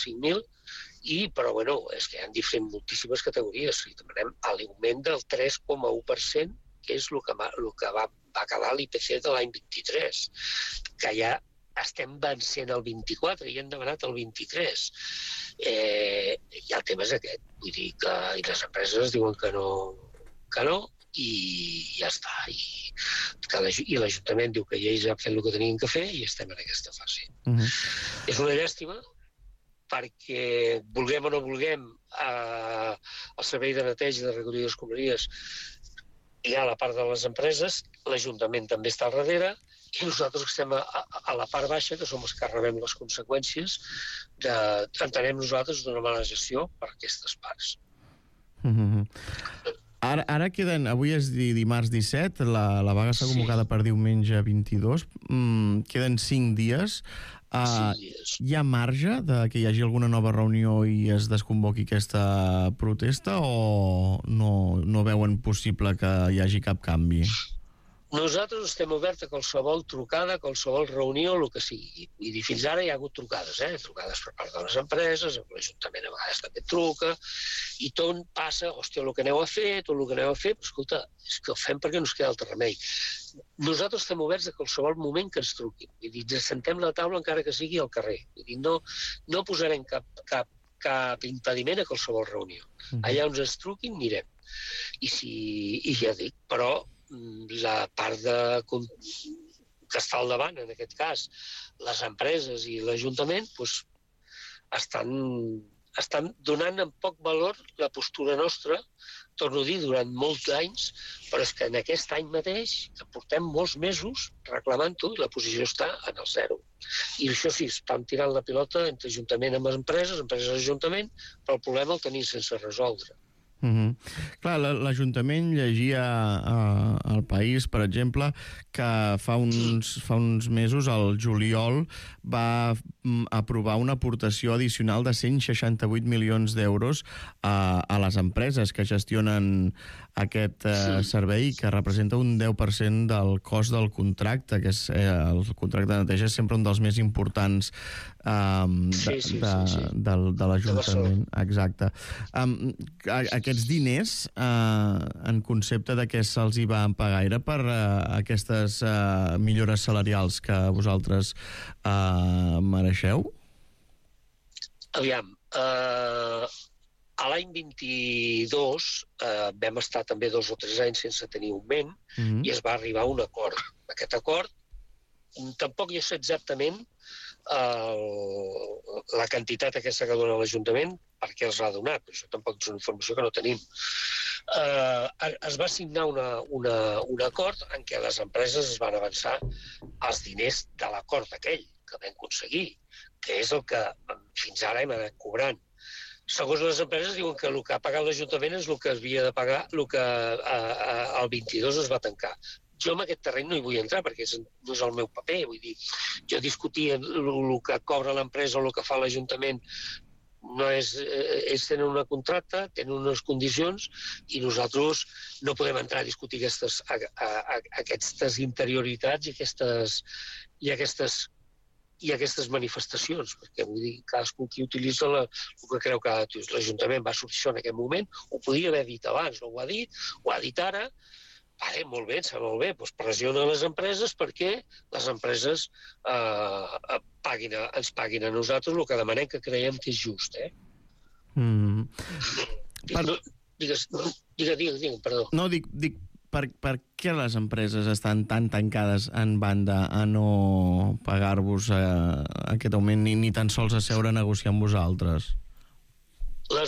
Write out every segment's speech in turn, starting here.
5.000, però bueno, és que hi ha diferents moltíssimes categories. I demanem l'augment del 3,1%, que és el que va quedar l'IPC de l'any 23, que ja estem vencent el 24 i hem demanat el 23. I el tema és aquest. Vull dir que les empreses diuen que no, i ja està. I l'Ajuntament diu que ells han fet el que tenien que fer i estem en aquesta fase. És una llàstima, perquè vulguem o no vulguem el servei de neteja i de recollida d'escombraries hi ha la part de les empreses, l'Ajuntament també està al darrere, i nosaltres estem a la part baixa, que som els que rebem les conseqüències entenem nosaltres d'una mala gestió per aquestes parts. Ara queden, avui és dimarts 17, la vaga està convocada per diumenge 22, queden 5 dies. Hi ha marge de que hi hagi alguna nova reunió i es desconvoqui aquesta protesta o no veuen possible que hi hagi cap canvi? Nosaltres estem oberts a qualsevol trucada, a qualsevol reunió, el que sigui. Vull dir, fins ara hi ha hagut trucades, trucades per part de les empreses, l'Ajuntament a vegades també truca, i tot passa, hòstia, el que aneu a fer, però escolta, és que ho fem perquè no ens queda altre remei. Nosaltres estem oberts a qualsevol moment que ens truquin. Vull dir, ens sentem a la taula encara que sigui al carrer. Vull dir, no posarem cap impediment a qualsevol reunió. Allà on ens truquin, anirem. I ja dic, però la part que està al davant, en aquest cas, les empreses i l'Ajuntament, estan donant en poc valor la postura nostra, torno a dir, durant molts anys, però és que en aquest any mateix, que portem molts mesos reclamant-ho, i la posició està en el 0. I això sí, estan tirant la pilota entre Ajuntament amb empreses i Ajuntament, però el problema el tenim sense resoldre. Clar, l'Ajuntament llegia al País, per exemple, que fa uns mesos, al juliol, va aprovar una aportació addicional de 168 milions d'euros a les empreses que gestionen aquest servei, que representa un 10% del cost del contracte, que és el contracte de neteja és sempre un dels més importants de l'Ajuntament. Exacte. Aquests diners, en concepte de què se'ls hi va pagar, era per aquestes millores salarials que vosaltres mereixeu? Aviam, a l'any 22 vam estar també 2 o 3 anys sense tenir augment i es va arribar a un acord. Aquest acord tampoc jo sé exactament la quantitat aquesta que dona l'Ajuntament per què els ha donat, però això tampoc és una informació que no tenim. Es va signar un acord en què les empreses es van avançar els diners de l'acord aquell que vam aconseguir, que és el que fins ara hem anat cobrant. Segons les empreses diuen que el que ha pagat l'Ajuntament és el que havia de pagar, el que el 22 es va tancar. Jo en aquest terreny no hi vull entrar perquè no és el meu paper, vull dir, jo discutir el que cobra l'empresa o el que fa l'Ajuntament no és... Ells tenen una contracta, tenen unes condicions i nosaltres no podem entrar a discutir aquestes interioritats i aquestes manifestacions, perquè vull dir, cadascú qui utilitza el que creu que l'Ajuntament va sortir això en aquest moment, ho podia haver dit abans, no ho ha dit ara. Vale, molt bé, em sembla molt bé, doncs pressiona les empreses perquè les empreses ens paguin a nosaltres el que demanem, que creiem que és just, Digue'm, perdó. No, dic per què les empreses estan tan tancades en banda a no pagar-vos aquest augment ni tan sols a seure a negociar amb vosaltres? No,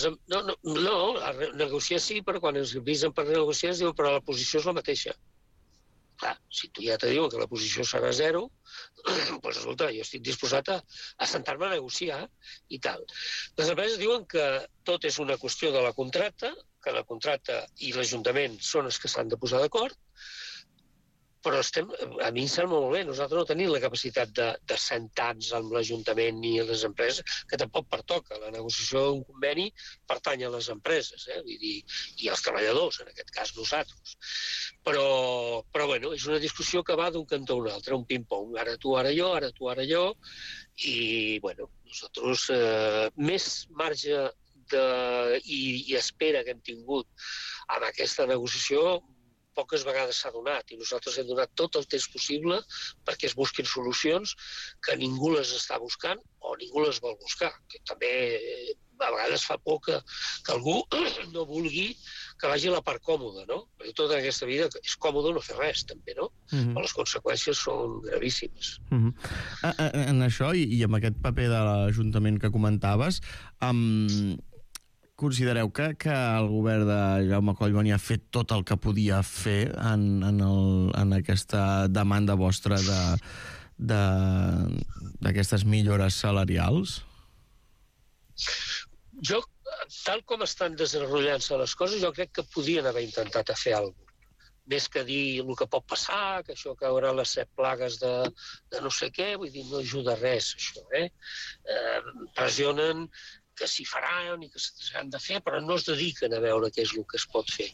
negociar sí, però quan ens avisen per negociar es diuen però la posició és la mateixa. Clar, si tu ja te diuen que la posició serà 0, doncs escolta, jo estic disposat a sentar-me a negociar i tal. Les empreses diuen que tot és una qüestió de la contracta, que la contracta i l'Ajuntament són els que s'han de posar d'acord, però a mi em sembla molt bé. Nosaltres no tenim la capacitat de sentar-nos amb l'Ajuntament ni a les empreses, que tampoc pertoca. La negociació d'un conveni pertany a les empreses, vull dir, i als treballadors, en aquest cas nosaltres. Però bueno, és una discussió que va d'un cantó a un altre, un ping-pong. Ara tu, ara jo, ara tu, ara jo, i bueno, nosaltres més marge i espera que hem tingut amb aquesta negociació poques vegades s'ha donat, i nosaltres hem donat tot el temps possible perquè es busquin solucions que ningú les està buscant o ningú les vol buscar, que també a vegades fa por que algú no vulgui que vagi a la part còmoda, no? Perquè tota aquesta vida és còmode no fer res, també, no? Però les conseqüències són gravíssimes. En això, i amb aquest paper de l'Ajuntament que comentaves, considereu que el govern de Jaume Collboni ha fet tot el que podia fer en aquesta demanda vostra d'aquestes millores salarials? Jo, tal com estan desenrotllant-se les coses, jo crec que podien haver intentat fer alguna cosa. Més que dir el que pot passar, que això caurà les 7 plagues de no sé què, vull dir, no ajuda res, això, pressionen que s'hi faran i que s'han de fer, però no es dediquen a veure què és el que es pot fer.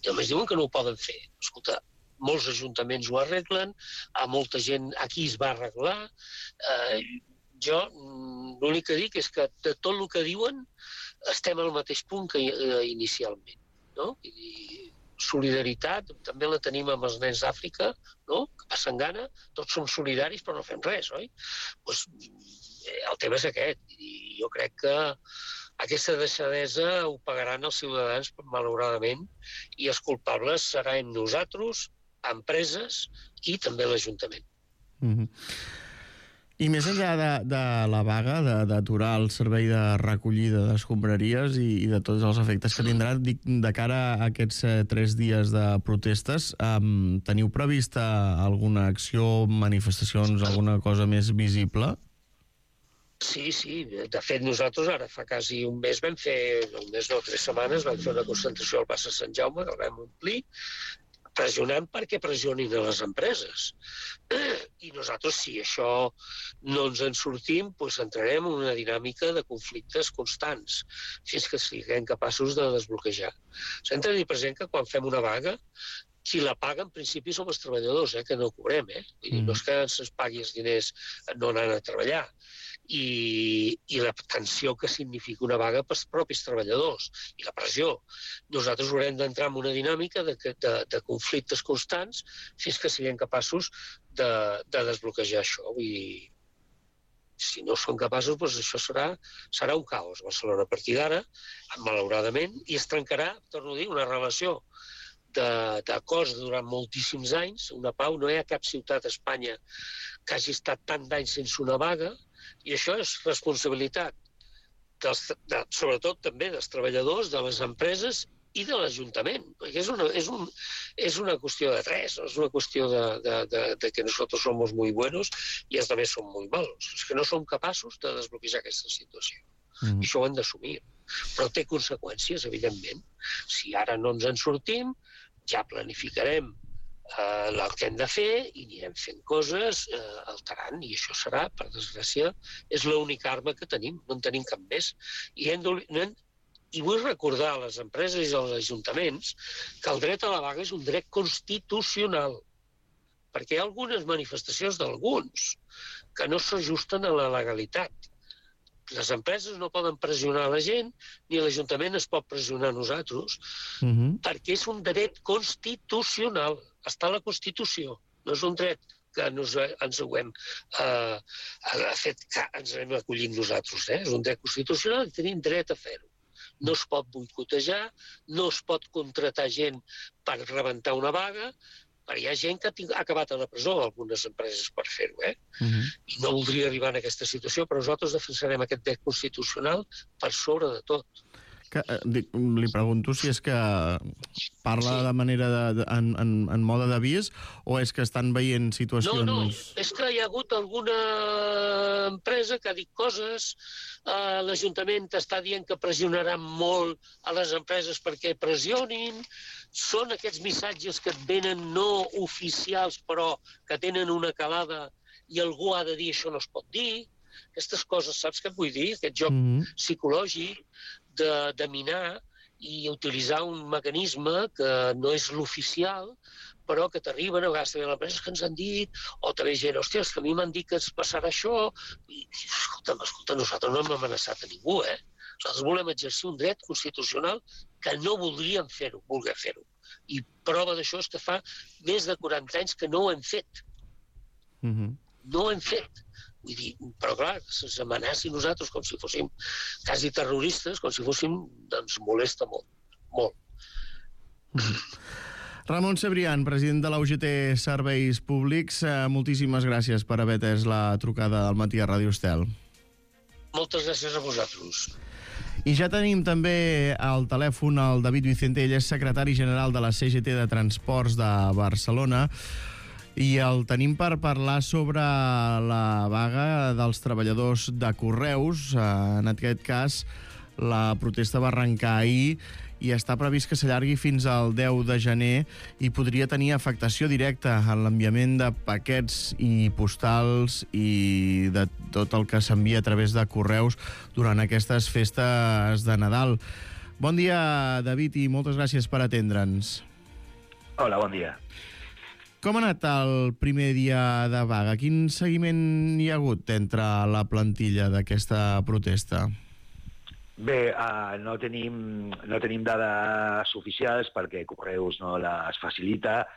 I només diuen que no ho poden fer. Escolta, molts ajuntaments ho arreglen, a molta gent aquí es va arreglar. Jo l'únic que dic és que de tot el que diuen estem al mateix punt que inicialment, no? I solidaritat també la tenim amb els nens d'Àfrica, no? Que passen gana, tots som solidaris però no fem res, oi? Doncs el tema és aquest, i jo crec que aquesta deixadesa ho pagaran els ciutadans, malauradament, i els culpables seran nosaltres, empreses i també l'Ajuntament. I més enllà de la vaga, d'aturar el servei de recollida d'escombraries i de tots els efectes que tindrà, de cara a aquests 3 dies de protestes, teniu prevista alguna acció, manifestacions, alguna cosa més visible? Sí. De fet, nosaltres ara fa quasi un mes vam fer, 3 setmanes, vam fer una concentració al plaça Sant Jaume, que el vam omplir, pressionant perquè pressionin a les empreses. I nosaltres, si això no ens en sortim, doncs entrarem en una dinàmica de conflictes constants, fins que siguem capaços de desbloquejar. S'ha de tenir present que quan fem una vaga, qui la paga, en principi, som els treballadors, que no cobrem. Vull dir, no és que ens pagui els diners no anant a treballar. I la tensió que significa una vaga pels propis treballadors i la pressió. Nosaltres haurem d'entrar en una dinàmica de conflictes constants fins que siguem capaços de desbloquejar això. Vull dir, si no som capaços, doncs això serà un caos a Barcelona a partir d'ara, malauradament, i es trencarà, torno a dir, una relació d'acords durant moltíssims anys, una pau. No hi ha cap ciutat a Espanya que hagi estat tant d'anys sense una vaga, i això és responsabilitat, sobretot també dels treballadors, de les empreses i de l'Ajuntament. És una qüestió de tres, no és una qüestió de que nosaltres somos muy buenos i els altres són muy malos. És que no som capaços de desbloquejar aquesta situació. I això ho hem d'assumir. Però té conseqüències, evidentment. Si ara no ens en sortim, ja planificarem el que hem de fer i anirem fent coses alterant, i això serà, per desgràcia, és l'única arma que tenim, no en tenim cap més. I vull recordar a les empreses i als ajuntaments que el dret a la vaga és un dret constitucional, perquè hi ha algunes manifestacions d'alguns que no s'ajusten a la legalitat. Les empreses no poden pressionar la gent, ni l'Ajuntament es pot pressionar a nosaltres, perquè és un dret constitucional. Està a la Constitució. No és un dret que ens ho hem fet, que ens hem acollit nosaltres. És un dret constitucional i tenim dret a fer-ho. No es pot boicotejar, no es pot contratar gent per rebentar una vaga, perquè hi ha gent que ha acabat a la presó, algunes empreses, per fer-ho. I no voldria arribar a aquesta situació, però nosaltres defensarem aquest dret constitucional per sobre de tot. Li pregunto si és que parla de manera en mode d'avís o és que estan veient situacions... No, és que hi ha hagut alguna empresa que ha dit coses, l'Ajuntament està dient que pressionarà molt a les empreses perquè pressionin, són aquests missatges que et venen no oficials però que tenen una calada i algú ha de dir això no es pot dir, aquestes coses, saps què et vull dir? Aquest joc psicològic de minar i utilitzar un mecanisme que no és l'oficial, però que t'arriben, a vegades també les empreses que ens han dit, o també gent, hòstia, és que a mi m'han dit que es passarà això, i escolta, nosaltres no hem amenaçat a ningú, Nosaltres volem exercir un dret constitucional que no voldríem voler fer-ho. I prova d'això és que fa més de 40 anys que no ho hem fet. No ho hem fet. Vull dir, però clar, se'ns amenaci nosaltres com si fóssim quasi terroristes, com si fóssim, doncs molesta molt, molt. Ramon Cebrián, president de la UGT Serveis Públics, moltíssimes gràcies per haver atès la trucada del matí a Ràdio Estel. Moltes gràcies a vosaltres. I ja tenim també al telèfon el David Vicente, ell és secretari general de la CGT de Transports de Barcelona, i el tenim per parlar sobre la vaga dels treballadors de Correus. En aquest cas, la protesta va arrencar ahir i està previst que s'allargui fins al 10 de gener i podria tenir afectació directa en l'enviament de paquets i postals i de tot el que s'envia a través de Correus durant aquestes festes de Nadal. Bon dia, David, i moltes gràcies per atendre'ns. Hola, bon dia. Com ha anat el primer dia de vaga? Quin seguiment hi ha hagut entre la plantilla d'aquesta protesta? Bé, no tenim dades oficials perquè Correus no les facilita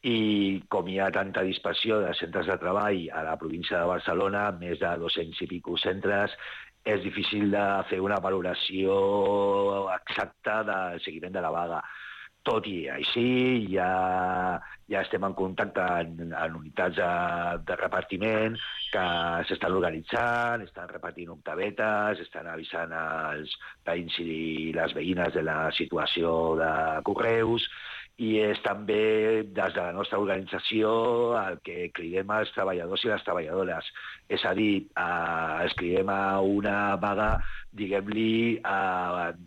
i com hi ha tanta dispersió de centres de treball a la província de Barcelona, més de 200 i pico centres, és difícil de fer una valoració exacta del seguiment de la vaga. Tot i així, ja estem en contacte en unitats de repartiment que s'estan organitzant, estan repartint octavetes, estan avisant als veïns i les veïnes de la situació de Correus i és també des de la nostra organització el que cridem als treballadors i les treballadores. És a dir, els cridem a una vaga, diguem-li,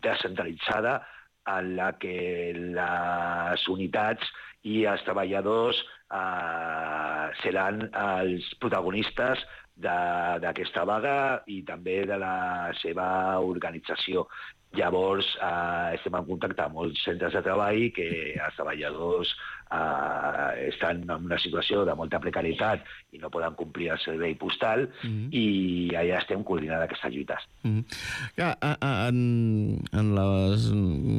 descentralitzada, en la que les unitats i els treballadors seran els protagonistes d'aquesta vaga i també de la seva organització. Llavors, estem en contacte amb molts centres de treball que els treballadors estan en una situació de molta precarietat i no poden complir el servei postal i allà estem coordinant aquestes lluites. En les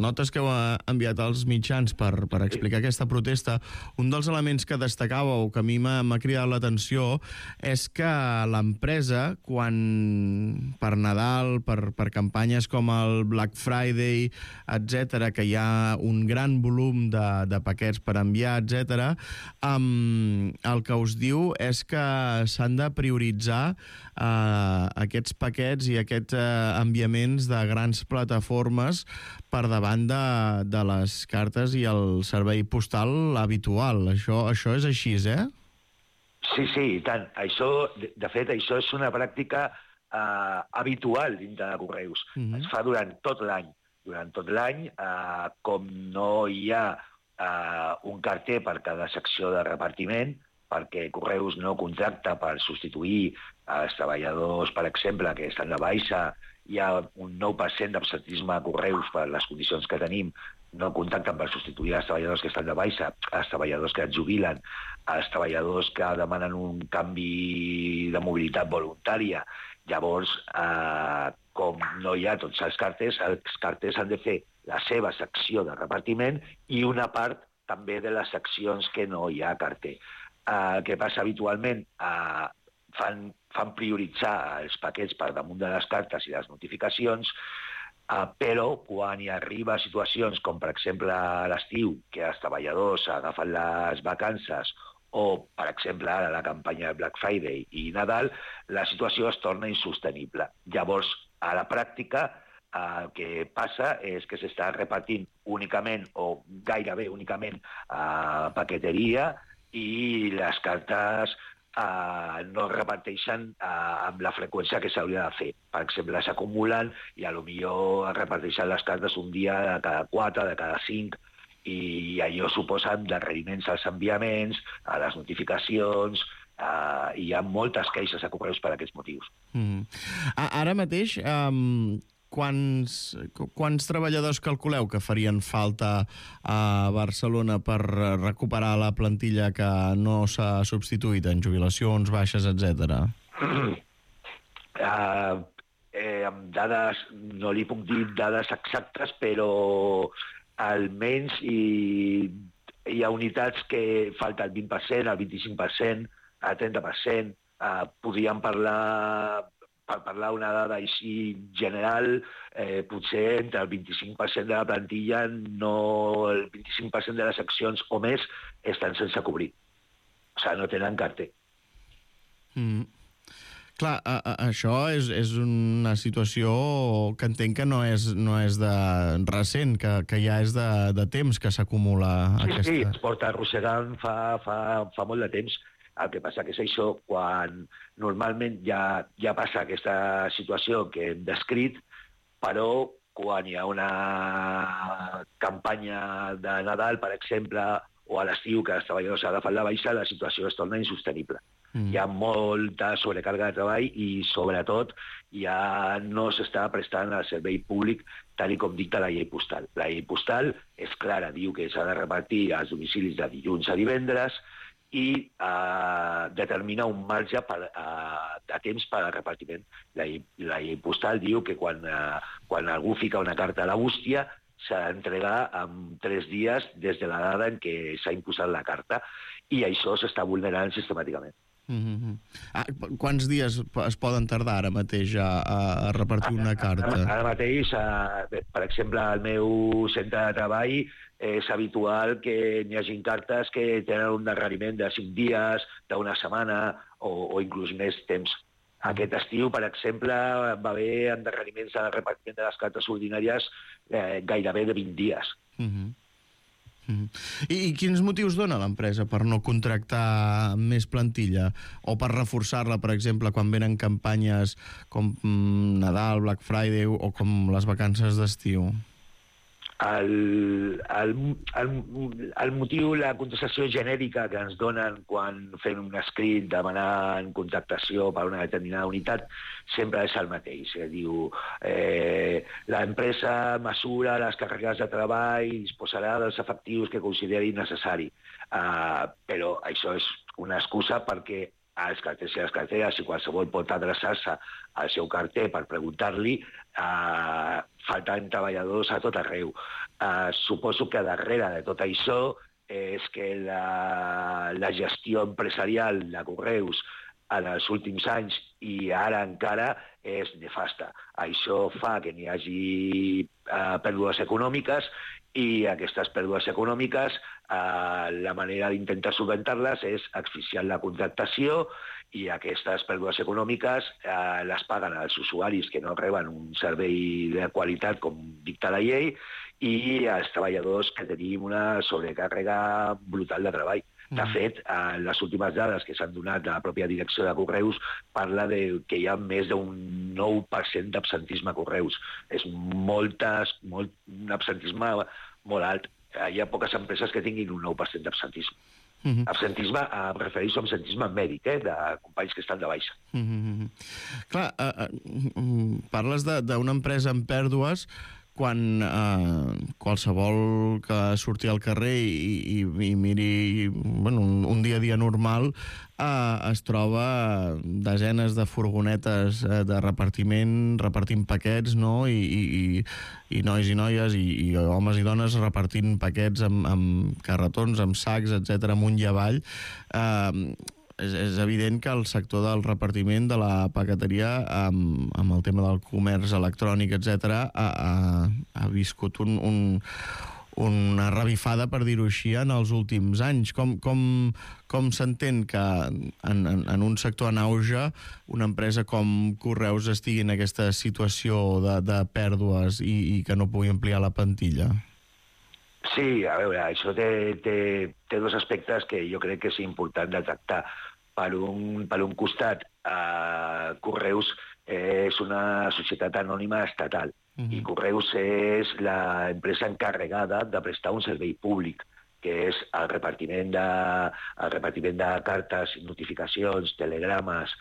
notes que heu enviat als mitjans per explicar aquesta protesta, un dels elements que destacàveu, que a mi m'ha cridat l'atenció, és que l'empresa, quan per Nadal, per campanyes com el Black Friday, etc., que hi ha un gran volum de paquets per enviar, etc., el que us diu és que s'han de prioritzar aquests paquets i aquests enviaments de grans plataformes per davant de les cartes i el servei postal habitual. Això és així, eh? Sí, i tant. De fet, això és una pràctica habitual dintre de Correus. Es fa durant tot l'any. Durant tot l'any, com no hi ha un carter per cada secció de repartiment, perquè Correus no contracta per substituir els treballadors, per exemple, que estan de baixa, hi ha un 9% d'absentisme a Correus per les condicions que tenim, no contacten per substituir els treballadors que estan de baixa, els treballadors que es jubilen, els treballadors que demanen un canvi de mobilitat voluntària. Llavors, com no hi ha tots els carters han de fer la seva secció de repartiment i una part també de les seccions que no hi ha carter. El que passa habitualment, fan prioritzar els paquets per damunt de les cartes i les notificacions, però quan hi arriba situacions com, per exemple, a l'estiu, que els treballadors agafen les vacances o, per exemple, ara la campanya de Black Friday i Nadal, la situació es torna insostenible. Llavors, a la pràctica, El que passa és que s'està repartint únicament o gairebé únicament a paqueteria i les cartes no es reparteixen amb la freqüència que s'hauria de fer. Per exemple, s'acumulen i potser es reparteixen les cartes un dia de cada 4, de cada 5, i allò suposa endarreriments als enviaments, a les notificacions, i hi ha moltes queixes a Correus per aquests motius. Ara mateix, quants treballadors calculeu que farien falta a Barcelona per recuperar la plantilla que no s'ha substituït en jubilacions, baixes, etc.? Amb dades, no li puc dir dades exactes, però almenys hi ha unitats que falta el 20%, el 25%, el 30%. Podríem parlar, per parlar una dada així general, potser entre el 25% de la plantilla, el 25% de les seccions o més estan sense cobrir. O sigui, no tenen carter. Clar, això és una situació que entenc que no és de recent, que ja és de temps que s'acumula aquesta... Sí, es porta arrossegant fa molt de temps. El que passa que és això, quan normalment ja passa aquesta situació que hem descrit, però quan hi ha una campanya de Nadal, per exemple, o a l'estiu que els treballadors agafen la baixa, la situació es torna insostenible. Hi ha molta sobrecàrrega de treball i, sobretot, ja no s'està prestant el servei públic tal com dicta la llei postal. La llei postal és clara, diu que s'ha de repartir als domicilis de dilluns a divendres i determina un marge de temps per al repartiment. La llei postal diu que quan algú fica una carta a la bústia s'ha d'entregar en 3 dies des de la dada en què s'ha imposat la carta, i això s'està vulnerant sistemàticament. Quants dies es poden tardar ara mateix a repartir una carta? Ara mateix, per exemple, al meu centre de treball és habitual que n'hi hagi cartes que tenen un endarreriment de 5 dies, d'una setmana o inclús més temps. Aquest estiu, per exemple, va haver endarreriments en el repartiment de les cartes ordinàries gairebé de 20 dies. I quins motius dona l'empresa per no contractar més plantilla? O per reforçar-la, per exemple, quan venen campanyes com Nadal, Black Friday o com les vacances d'estiu? El motiu, la contestació genèrica que ens donen quan fem un escrit demanant contractació per una determinada unitat sempre és el mateix. Diu, l'empresa mesura les càrregues de treball i disposarà dels efectius que consideri necessari. Però això és una excusa perquè als carters i les carteres, si qualsevol pot adreçar-se al seu carter per preguntar-li, falten treballadors a tot arreu. Suposo que darrere de tot això és que la gestió empresarial de Correus en els últims anys i ara encara és nefasta. Això fa que n'hi hagi pèrdues econòmiques i aquestes pèrdues econòmiques la manera d'intentar solventar-les és asfixiant la contractació i aquestes pèrdues econòmiques les paguen als usuaris que no reben un servei de qualitat com dicta la llei i als treballadors que tenim una sobrecàrrega brutal de treball. De fet, les últimes dades que s'han donat de la pròpia direcció de Correus parla que hi ha més d'un 9% d'absentisme a Correus. És un absentisme molt alt. Hi ha poques empreses que tinguin un 9% d'absentisme. Absentisme, em refereixo a absentisme mèdic, de companys que estan de baixa. Clar, parles d'una empresa amb pèrdues quan qualsevol que surti al carrer i miri un dia a dia normal es troba desenes de furgonetes de repartiment, repartint paquets, no? I nois i noies i homes i dones repartint paquets amb carretons, amb sacs, etc., amunt i avall. És evident que el sector del repartiment, de la paqueteria, amb el tema del comerç electrònic, etc., ha viscut una revifada, per dir-ho així, en els últims anys. Com s'entén que en un sector en auge una empresa com Correus estigui en aquesta situació de pèrdues i que no pugui ampliar la plantilla? Sí, a veure, això té dos aspectes que jo crec que és important de tractar. Per un costat, Correus és una societat anònima estatal i Correus és l'empresa encarregada de prestar un servei públic, que és el repartiment de cartes, notificacions, telegrames,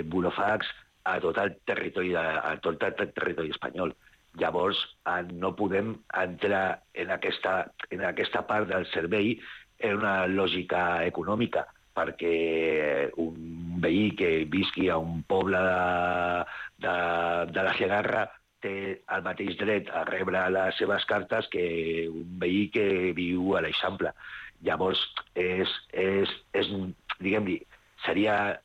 burofax a tot el territori espanyol. Llavors, no podem entrar en aquesta part del servei en una lògica econòmica, perquè un veí que visqui a un poble de la Segarra té el mateix dret a rebre les seves cartes que un veí que viu a l'Eixample. Llavors, diguem-ne, seria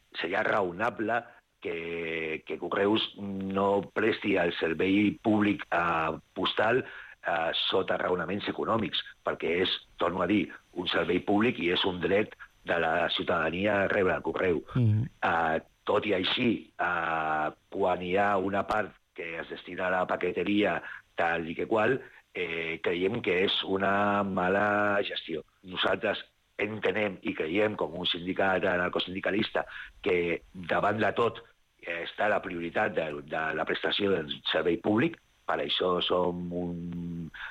raonable que Correus no presti el servei públic postal sota raonaments econòmics, perquè és, torno a dir, un servei públic i és un dret de la ciutadania a rebre el correu. Tot i així, quan hi ha una part que es destina a la paqueteria tal i que qual, creiem que és una mala gestió. Nosaltres entenem i creiem, com un sindicat anarcosindicalista, que davant de tot està la prioritat de la prestació del servei públic. Per això som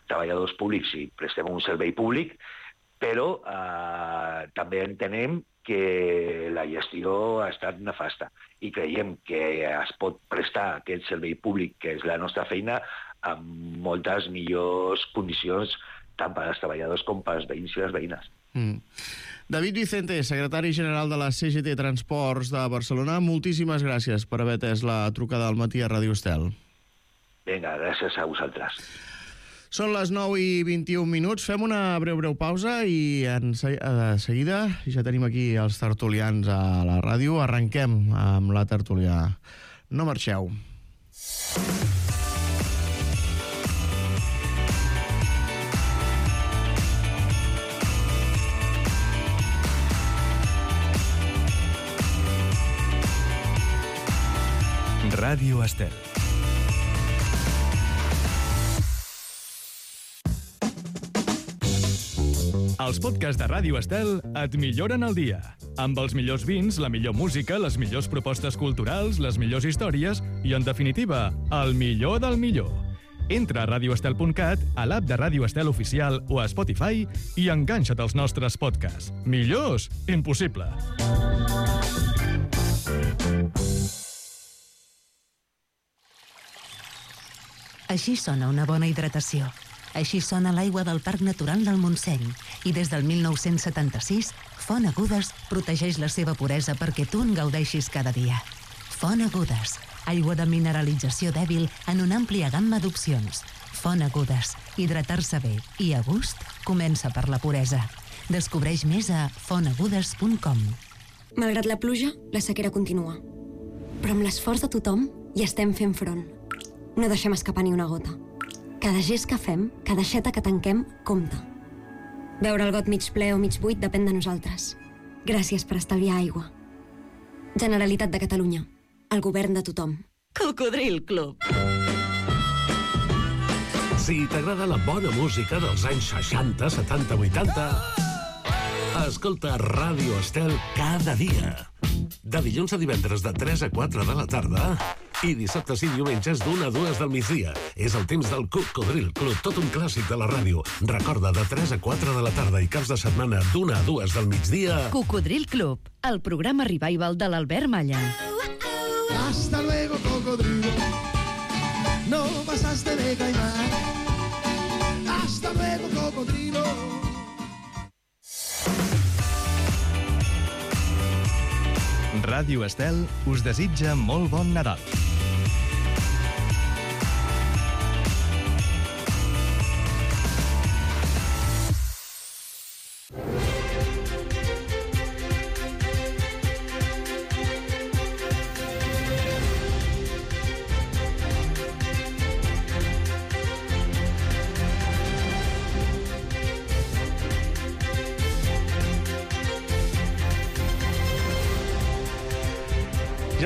treballadors públics i prestem un servei públic, però també entenem que la gestió ha estat nefasta i creiem que es pot prestar aquest servei públic, que és la nostra feina, amb moltes millors condicions tant per als treballadors com per als veïns i les veïnes. David Vicente, secretari general de la CGT Transports de Barcelona, moltíssimes gràcies per haver atès la trucada al matí a Ràdio Estel. Vinga, gràcies a vosaltres. Són les 9:21. Fem una breu pausa i de seguida ja tenim aquí els tertulians a la ràdio. Arrenquem amb la tertúlia. No marxeu. Ràdio Estel. Els podcasts de Ràdio Estel et milloren el dia. Amb els millors vins, la millor música, les millors propostes culturals, les millors històries i, en definitiva, el millor del millor. Entra a radioestel.cat, a l'app de Ràdio Estel Oficial o a Spotify i enganxa't als nostres podcasts. Millors? Impossible. Així sona una bona hidratació. Així sona l'aigua del Parc Natural del Montseny. I des del 1976, Font Agudes protegeix la seva puresa perquè tu en gaudeixis cada dia. Font Agudes, aigua de mineralització dèbil en una àmplia gamma d'opcions. Font Agudes, hidratar-se bé i a gust comença per la puresa. Descobreix més a fontagudes.com. Malgrat la pluja, la sequera continua. Però amb l'esforç de tothom hi estem fent front. No deixem escapar ni una gota. Cada gest que fem, cada aixeta que tanquem, compta. Veure el got mig ple o mig buit depèn de nosaltres. Gràcies per estalviar aigua. Generalitat de Catalunya. El govern de tothom. Cocodril Club. Si t'agrada la bona música dels anys 60, 70, 80... Escolta Ràdio Estel cada dia. De dilluns a divendres de 3 a 4 de la tarda i dissabtes i diumenges d'1 a 2 del migdia. És el temps del Cocodril Club, tot un clàssic de la ràdio. Recorda, de 3 a 4 de la tarda i caps de setmana d'1 a 2 del migdia. Cocodril Club, el programa revival de l'Albert Malla. Hasta luego, cocodrilo. No pasaste de caimán. Hasta luego, cocodrilo. Ràdio Estel us desitja molt bon Nadal.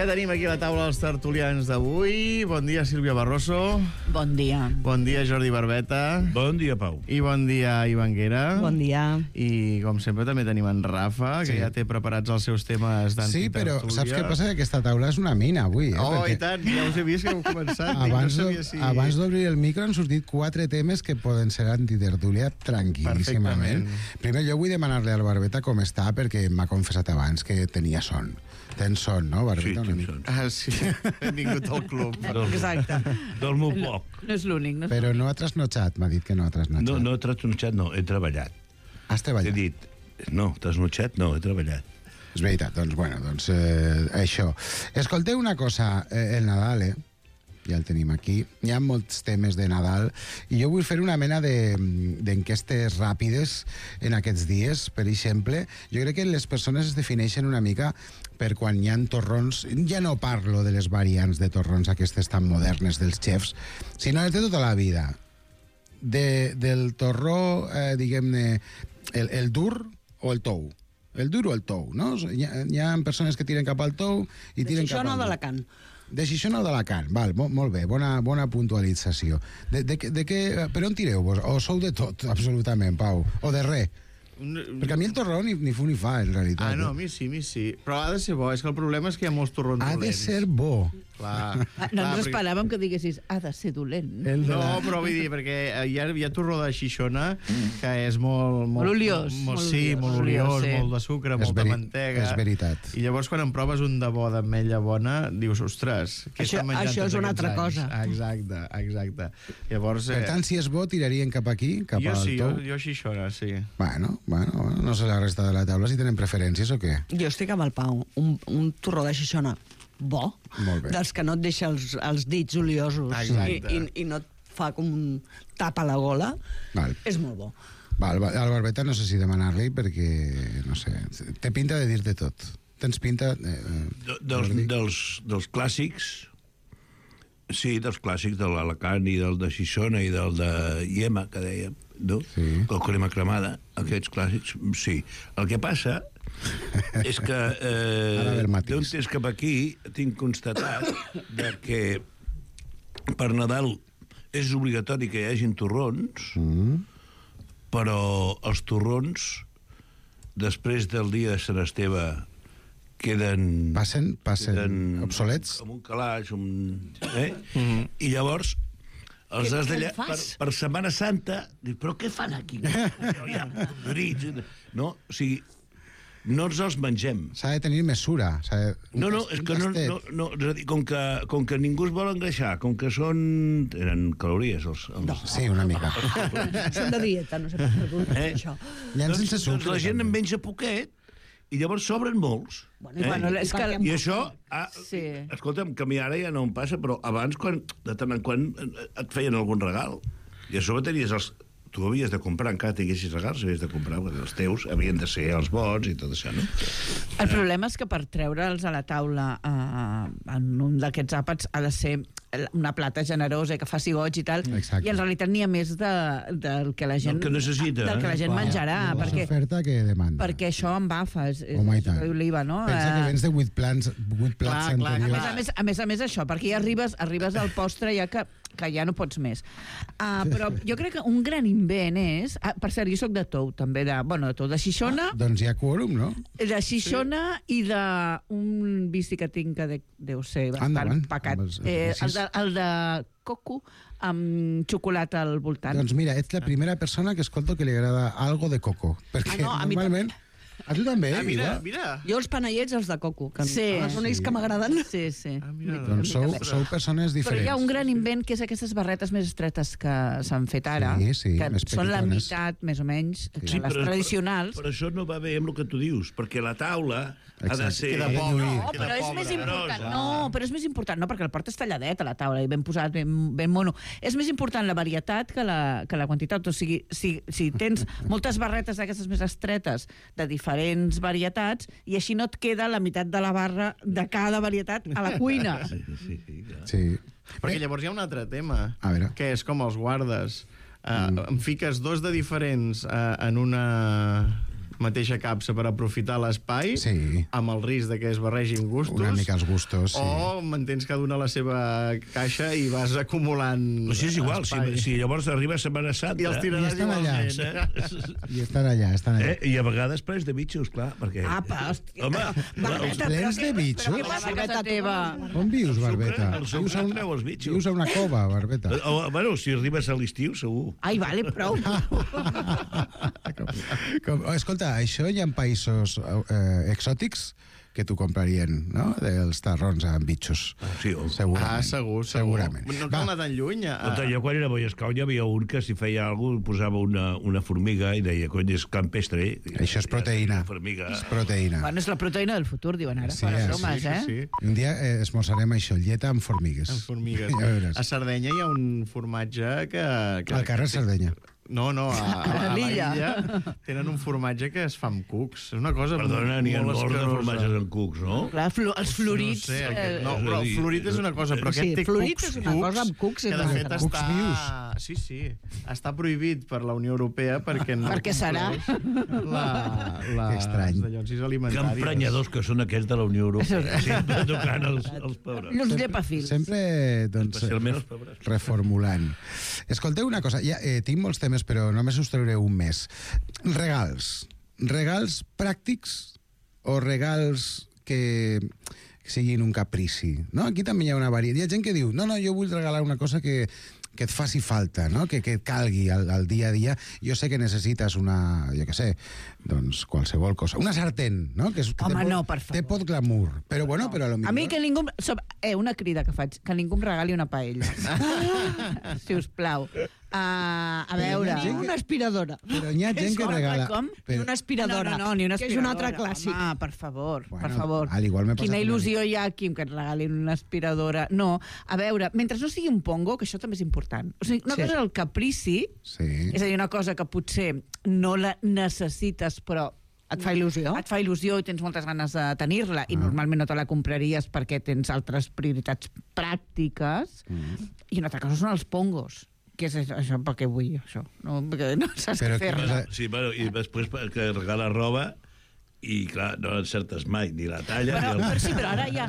Ja tenim aquí la taula dels tertulians d'avui. Bon dia, Sílvia Barroso. Bon dia. Bon dia, Jordi Barbeta. Bon dia, Pau. I bon dia, Ivan Guera. Bon dia. I, com sempre, també tenim en Rafa, que ja té preparats els seus temes d'antitertúlia. Sí, però saps què passa? Que aquesta taula és una mina, avui. I tant, ja us he vist que heu començat. Abans d'obrir el micro han sortit 4 temes que poden ser antitertúlia tranquil·líssimament. Primer, jo vull demanar-li al Barbeta com està, perquè m'ha confessat abans que tenia son. Tens son, no, Barbeta? Sí, tinc son. Sí, he vingut al club. Exacte. Dormo poc. No és l'únic. Però no ha trasnotxat, m'ha dit que no ha trasnotxat. No he trasnotxat, no, he treballat. Has treballat? He dit, no, trasnotxat no, he treballat. És veritat, doncs això. Escolteu una cosa, el Nadal, ja el tenim aquí, hi ha molts temes de Nadal, i jo vull fer una mena d'enquestes ràpides en aquests dies. Per exemple, jo crec que les persones es defineixen una mica per quan hi ha torrons. Ja no parlo de les variants de torrons aquestes tan modernes dels xefs, sinó de tota la vida. Del torró, diguem-ne, el dur o el tou. El dur o el tou, no? Hi ha persones que tiren cap al tou i tiren cap al dur. De Xixona o d'Alacant? De Xixona o d'Alacant, val, molt bé, bona puntualització. Per on tireu vos? O sou de tot, absolutament, Pau? O de res? Perquè a mi el torró ni fu ni fa, en realitat. No, a mi sí. Però ha de ser bo, és que el problema és que hi ha molts torrons dolents. Ha de ser bo. Clar. No ens esperàvem que diguessis ha de ser dolent. No, però vull dir, perquè hi ha torró de Xixona que és molt oliós. Sí, molt oliós, molt de sucre, molta mantega. És veritat. I llavors quan en proves un de bo d'ametlla bona, dius, ostres, què estan menjant això és una altra cosa. Exacte. Llavors, per tant, si és bo, tirarien cap aquí, cap al tou? Jo Xixona, sí. Bueno, no sé la resta de la taula si tenen preferències o què. Jo estic amb el Pau. Un torró de Xixona bo, dels que no et deixa els dits oliosos i no et fa com un tap a la gola, és molt bo. Al Barbeta no sé si demanar-li perquè, no sé, té pinta de dir-te tot. Tens pinta... Dels clàssics, sí, dels clàssics de l'Alacant i del de Xixona i del de Iema, que dèiem, no? El crema cremada, aquests clàssics, sí. El que passa és que d'un temps cap aquí tinc constatat que per Nadal és obligatori que hi hagin torrons, però els torrons després del dia de Sant Esteve queden obsolets, com un calaix, i llavors els has d'allà per Setmana Santa, però què fan aquí? No, o sigui, no ens els mengem. S'ha de tenir mesura. No, és que no, com que ningú es vol engreixar, com que tenen calories sí, una mica. Són de dieta, no sé per què això. Doncs la gent en menja poquet i llavors sobren molts. I això, escolta'm, que a mi ara ja no em passa, però abans, de tant en quant, et feien algun regal. I a sobre tenies tu havies de comprar, encara tinguessis regals, havies de comprar, perquè els teus havien de ser els bons i tot això, no? El problema és que per treure'ls a la taula en un d'aquests àpats ha de ser una plata generosa i que faci goig i tal, i en realitat n'hi ha més del que la gent necessita, del que la gent menjarà, l'oferta que demanda, perquè això embafa, és l'oliva, no? Pensa que vens de 8 plats anteriors. A més això, perquè ja arribes al postre ja que ja no pots més. Però jo crec que un gran invent és... per cert, jo soc de tou, també, de Xixona. Doncs hi ha quòrum, no? De Xixona i d'un vici que tinc que deu ser bastant pecat. El de coco amb xocolata al voltant. Doncs mira, ets la primera persona que escolto que li agrada algo de coco. Perquè normalment... A tu també, mira. Jo els panellets, els de coco. Són ells que m'agraden. Sí. Doncs sou persones diferents. Però hi ha un gran invent, que és aquestes barretes més estretes que s'han fet ara, que són la meitat, més o menys, que les tradicionals. Però això no va bé amb el que tu dius, perquè la taula ha de ser... No, però és més important. Però és més important, no, perquè el portes talladet a la taula i ben posat, ben mono. És més important la varietat que la quantitat. O sigui, si tens moltes barretes d'aquestes més estretes de diferents varietats, i així no et queda la meitat de la barra de cada varietat a la cuina. Sí. Perquè llavors hi ha un altre tema, que és com els guardes. Em fiques 2 de diferents en una mateixa capsa per aprofitar l'espai, amb el risc de que es barregin gustos. Una mica els gustos, sí. O mantens cada una la seva caixa i vas acumulant O sigui, és igual, espai. si llavors arriba Setmana Santa... I els tiraràs igualment. I estan allà. I a vegades plens de bitxos, clar, perquè... Apa, hòstia. Home, plens de bitxos? Però què passa a casa teva? On vius, Barbeta? El sucre el treu els bitxos. Vius a una cova, Barbeta. Bueno, si arribes a l'estiu, segur. Ai, vale, prou. Escolta, això hi ha països exòtics que t'ho comprarien, no? Dels tarrons amb bitxos. Sí, segurament. Segur. Segurament. No cal anar tan lluny. Jo quan era a Boy Scout hi havia un que si feia alguna cosa posava una formiga i deia, cony, és campestre. Això és proteïna. És proteïna. Bueno, és la proteïna del futur, diuen ara. Sí, Para bromes, sí. Un dia esmorzarem això, lleta amb formigues. Amb formigues. Ja veuràs. A Sardenya hi ha un formatge que... Al carrer Sardenya. No, a l'illa tenen un formatge que es fa amb cucs. És una cosa Perdona, n'hi ha molt molts de escarosa. formatges amb cucs, no? Clar, els florits... No sé, no, però el florit és una cosa, però aquest té florit és una cosa amb cucs. que de fet Cucs està... vius. Sí, està prohibit per la Unió Europea perquè no Perquè serà. Que estrany. les dallonsis Que alimentàries. emprenyadors que són aquests de la Unió Europea. Sempre tocant els pobres. Els llepafils. Sempre, doncs, Especialment els pobres. reformulant. Escolteu una cosa, ja, tinc molts temes, però només us trauré un més. Regals. Regals pràctics o regals que siguin un caprici, no? Aquí també hi ha una varietat. Hi ha gent que diu, no, jo vull regalar una cosa que et faci falta, no? Que et calgui al dia a dia. Jo sé que necessites una, jo què sé, doncs qualsevol cosa. Una sartén, no? Que Home, no, per favor. Té pot glamour. Però bueno, però a lo millor... A mi que ningú... Una crida que faig, que ningú em regali una paella. Si us plau. A veure... Ni una aspiradora. Però hi ha gent que regala... Ni una aspiradora. No, ni una aspiradora. Que és un altre clàssic. Home, per favor, Bueno, per favor. al igual m'he passat Quina una il·lusió hi ha aquí que et regalin una aspiradora. No, a veure, mentre no sigui un pongo, que això també és important. O sigui, una cosa és el caprici, és a dir, una cosa que potser no la necessites, però et fa il·lusió. Et fa il·lusió i tens moltes ganes de tenir-la i normalment no te la compraries perquè tens altres prioritats pràctiques. I una altra cosa són els pongos. Què és això? Per què vull això? No, perquè no saps què fer-ne. Sí, bueno, i després que regala roba i, clar, no encertes mai ni la talla ni el... Però sí, però ara ja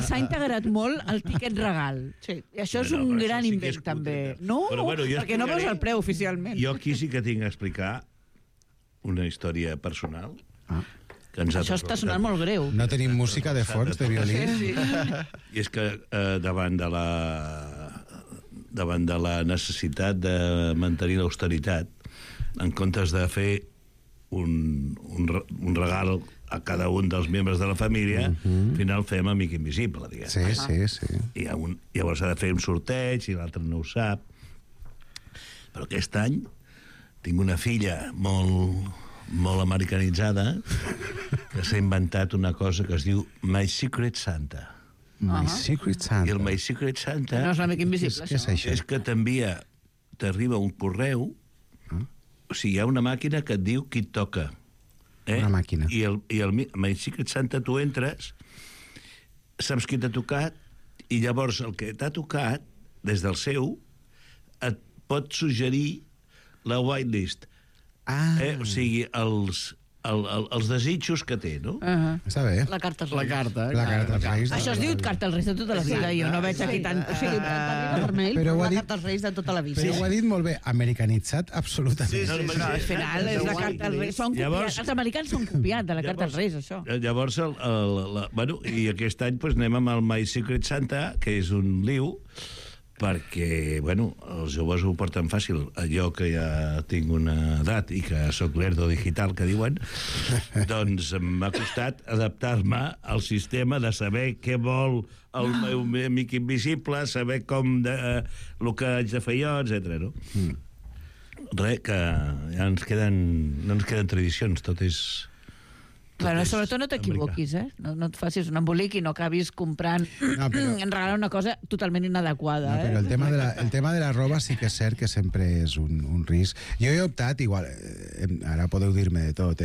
s'ha integrat molt el tiquet regal. Sí. I això és un gran invent, també. No, perquè no veus el preu oficialment. Jo aquí sí que tinc a explicar una història personal. Això està sonant molt greu. No tenim música de fons, de violí. Sí. I és que davant de la necessitat de mantenir l'austeritat, en comptes de fer un regal a cada un dels membres de la família, al final fem amic invisible, diguem. Sí. I llavors s'ha de fer un sorteig i l'altre no ho sap. Però aquest any tinc una filla molt americanitzada que s'ha inventat una cosa que es diu My Secret Santa. My Secret Santa. I el My Secret Santa... No és l'amic invisible, Què és això? És que t'arriba un correu, o sigui, hi ha una màquina que et diu qui et toca. Una màquina. I el My Secret Santa tu entres, saps qui t'ha tocat, i llavors el que t'ha tocat, des del seu, et pot suggerir la whitelist. O sigui, els desitjos que té, no? Està bé. La carta als La Reis. carta. La carta als Reis. Això es diu carta als Reis de tota la vida. Jo no veig aquí tant... O sigui, vermell, Però ho ha la dit- carta als Reis de tota la vida. Però ho ha dit molt bé, americanitzat absolutament. Però al final és la carta als Reis. Els americans s'han copiat de la carta als Reis, això. Llavors, bueno, i aquest any doncs, anem amb el My Secret Santa, que és un liu, perquè, bueno, els joves ho porten fàcil. Jo, que ja tinc una edat i que sóc lerdo digital, que diuen, doncs m'ha costat adaptar-me al sistema de saber què vol el meu amic invisible, saber el que haig de fer jo, etc. No? Res, que ja no ens queden tradicions, tot és... Bueno, sobretot no t'equivoquis, No et facis un embolic i no acabis comprant en regalar una cosa totalment inadequada. No, però el tema de la roba sí que és cert que sempre és un risc. Jo he optat, igual, ara podeu dir-me de tot,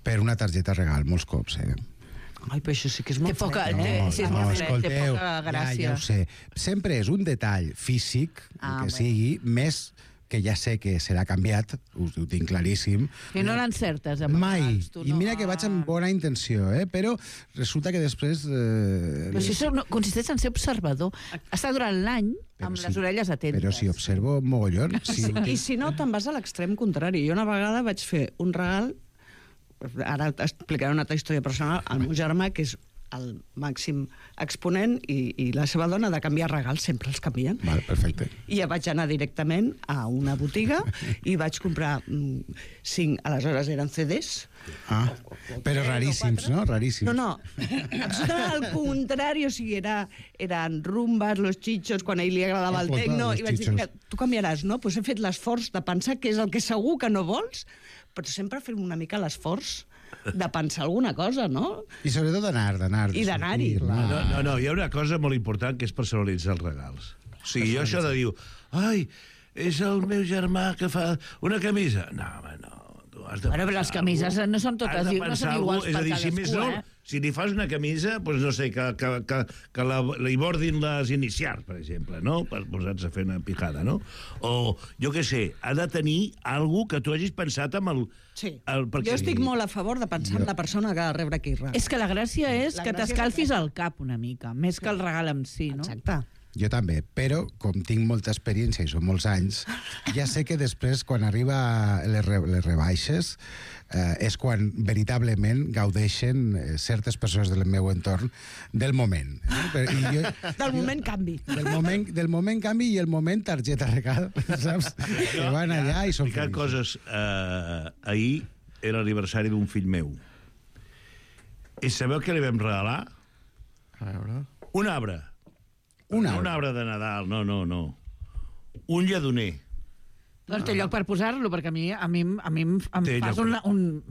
per una targeta regal, molts cops, Ai, però això sí que és molt poca, fred. sí, és molt fred, té escolteu, poca gràcia. ja ho sé. Sempre és un detall físic, que sigui, més que ja sé que serà canviat, ho tinc claríssim. I no l'encertes amb Mai. els tu, I mira que vaig amb bona intenció, però resulta que després... Però si això consisteix en ser observador. Està durant l'any amb les orelles atentes. Però si observo mogollon... I si no, te'n vas a l'extrem contrari. Jo una vegada vaig fer un regal, ara t'explicaré una altra història personal, al meu germà, que és el màxim exponent, i la seva dona de canviar regals, sempre els canvien. Val, perfecte. I ja vaig anar directament a una botiga i vaig comprar 5, aleshores eren CDs. Però raríssims, no? Raríssims. No, absolutament al contrari, o sigui, eren rumbas, los chichos, quan a ell li agradava el tecno, i vaig dir, mira, tu canviaràs, no? Doncs he fet l'esforç de pensar què és el que segur que no vols, però sempre fem una mica l'esforç de pensar alguna cosa, no? I sobretot d'anar. I d'anar-hi. No, hi ha una cosa molt important que és personalitzar els regals. O sigui, jo això de dir, ai, és el meu germà que fa una camisa. No, home, no. Bueno, però les camises no són totes no són iguals per cadascú, si més no, si li fas una camisa, doncs no sé, que li bordin les inicials, per exemple, no? Per posar-se a fer una pijada, no? O, jo què sé, ha de tenir alguna que tu hagis pensat amb el... Sí, jo estic molt a favor de pensar en la persona que ha de rebre aquell regal. És que la gràcia és que t'escalfis el cap una mica, més que el regal en si, no? Exacte. Jo també, però com tinc molta experiència i són molts anys, ja sé que després, quan arriba les rebaixes, és quan veritablement gaudeixen certes persones del meu entorn del moment. Del moment canvi. Del moment canvi i el moment targeta regal, saps? Que van allà i són feliços. Coses, ahir era l'aniversari d'un fill meu. I sabeu què li vam regalar? A veure... Un arbre. Un arbre de Nadal, no. Un lledoner. Doncs té lloc per posar-lo, perquè a mi em fas un...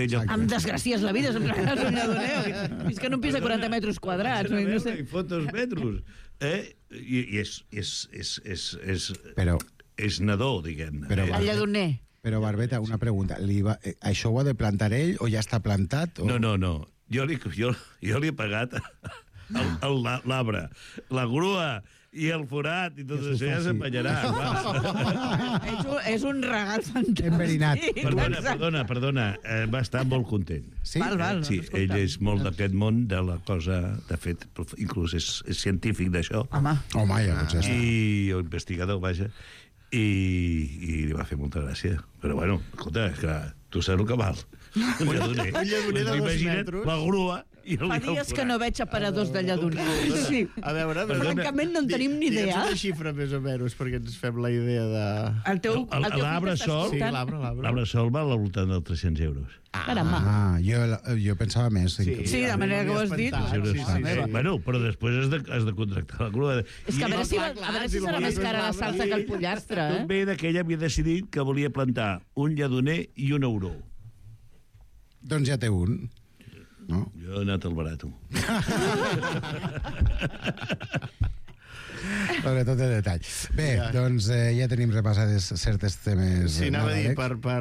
Em desgracies la vida, sempre fas un lledoner. És que no em pisa 40 metres quadrats. No sé. I fot 2 metres. I és nadó, diguem-ne. El lledoner. Però, Barbeta, una pregunta. Això ho ha de plantar ell o ja està plantat? No. Jo li he pagat l'arbre, la grua i el forat i tot això ja s'empanyarà. És un regal fantàstic. Enverinat. Perdona, va estar molt content. Sí? Val, sí, ell és molt d'aquest món de la cosa, de fet, inclús és científic d'això. Home, ja potser sí. I investigador, vaja, i li va fer molta gràcia. Però bueno, escolta, és que tu saps el que val. Un lledoner de 2 metres. La grua. Fa dies que no veig aparadors de lledoner. Sí. A veure, francament no en tenim ni idea. Digue'ns una xifra més o menys, perquè ens fem la idea de... L'arbre sol val al voltant dels 300 euros. Caramba. Jo pensava més. Sí, de manera que ho has dit. Bueno, però després has de contractar la grua. És que a veure si serà més cara la salsa que el pollastre, Tot ve que ella havia decidit que volia plantar un lledoner i un auró. Doncs ja té un. No? Jo he anat al barato. Sobretot el detall. Bé, doncs ja tenim repassades certes temes. Sí, anava a dir, per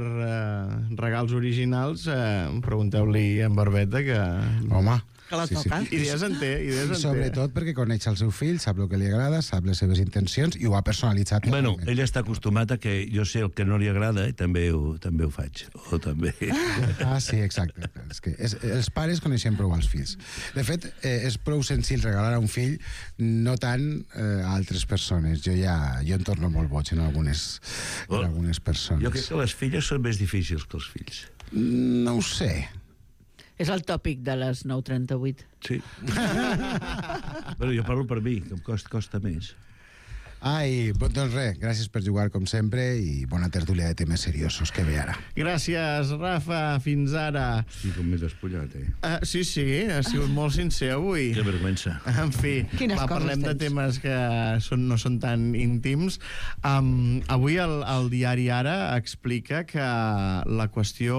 regals originals, pregunteu-li a en Barbeta que... Home... Que la toca. Idees en té. Sobretot perquè coneix el seu fill, sap el que li agrada, sap les seves intencions i ho ha personalitzat. Bueno, ell està acostumat a que jo sé el que no li agrada i també ho faig. O també... Sí, exacte. És que els pares coneixen prou els fills. De fet, és prou senzill regalar a un fill, no tant a altres persones. Jo em torno molt boig en algunes persones. Jo crec que les filles són més difícils que els fills. No ho sé. És el tòpic de les 9:38. Sí. Però jo parlo per mi, que em costa més. Doncs res, gràcies per jugar com sempre i bona tertúlia de temes seriosos que ve ara. Gràcies, Rafa, fins ara. Sí, com m'he despullat, Sí, ha sigut molt sincer avui. Que vergüenza. En fi, parlem de temes que no són tan íntims. Avui el diari Ara explica que la qüestió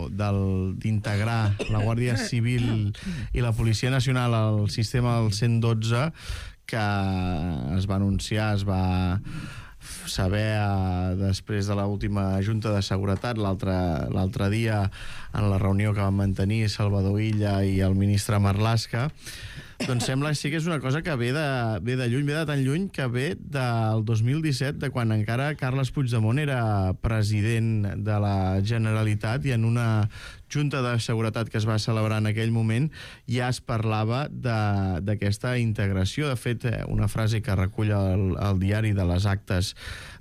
d'integrar la Guàrdia Civil i la Policia Nacional al sistema del 112 que es va anunciar, es va saber després de l'última Junta de Seguretat l'altre dia en la reunió que van mantenir Salvador Illa i el ministre Marlaska, doncs sembla sí que és una cosa que ve de lluny, ve de tan lluny que ve del 2017, de quan encara Carles Puigdemont era president de la Generalitat, i en una Junta de Seguretat que es va celebrar en aquell moment ja es parlava d'aquesta integració. De fet, una frase que recull el diari de les actes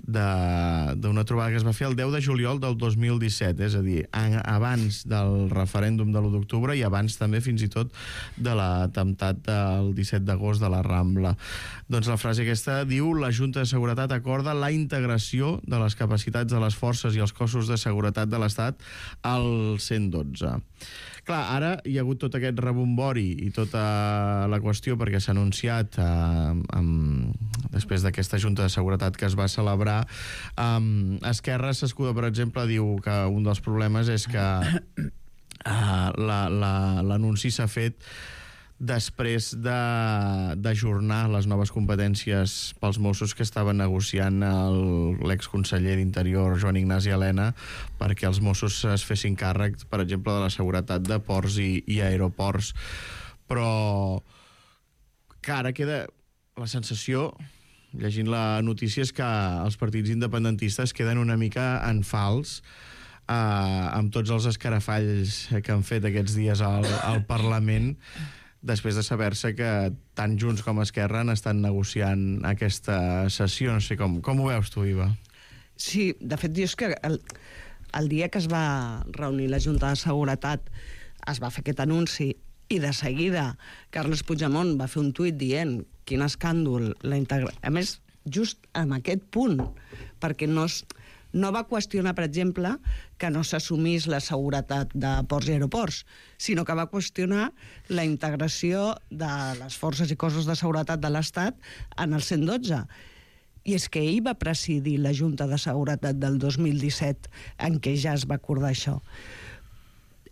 d'una trobada que es va fer el 10 de juliol del 2017, és a dir, abans del referèndum de l'1 d'octubre i abans també fins i tot de l'atemptat del 17 d'agost de la Rambla. Doncs la frase aquesta diu: la Junta de Seguretat acorda la integració de les capacitats de les forces i els cossos de seguretat de l'Estat al 112. Clar, ara hi ha hagut tot aquest rebombori i tota la qüestió perquè s'ha anunciat després d'aquesta Junta de Seguretat que es va celebrar. Esquerra s'escuda, per exemple, diu que un dels problemes és que l'anunci s'ha fet després d'ajornar les noves competències pels Mossos que estaven negociant l'exconseller d'Interior, Joan Ignasi Elena, perquè els Mossos es fessin càrrec, per exemple, de la seguretat de ports i aeroports. Però que ara queda la sensació, llegint la notícia, és que els partits independentistes queden una mica en fals amb tots els escarafalls que han fet aquests dies al Parlament, després de saber-se que tant Junts com Esquerra han estat negociant aquesta sessió. No sé com ho veus tu, Iva? Sí, de fet, dius que el dia que es va reunir la Junta de Seguretat es va fer aquest anunci i de seguida Carles Puigdemont va fer un tuit dient quin escàndol la integració. A més, just en aquest punt, perquè no va qüestionar, per exemple, que no s'assumís la seguretat de ports i aeroports, sinó que va qüestionar la integració de les forces i cossos de seguretat de l'Estat en el 112. I és que ell va presidir la Junta de Seguretat del 2017 en què ja es va acordar això.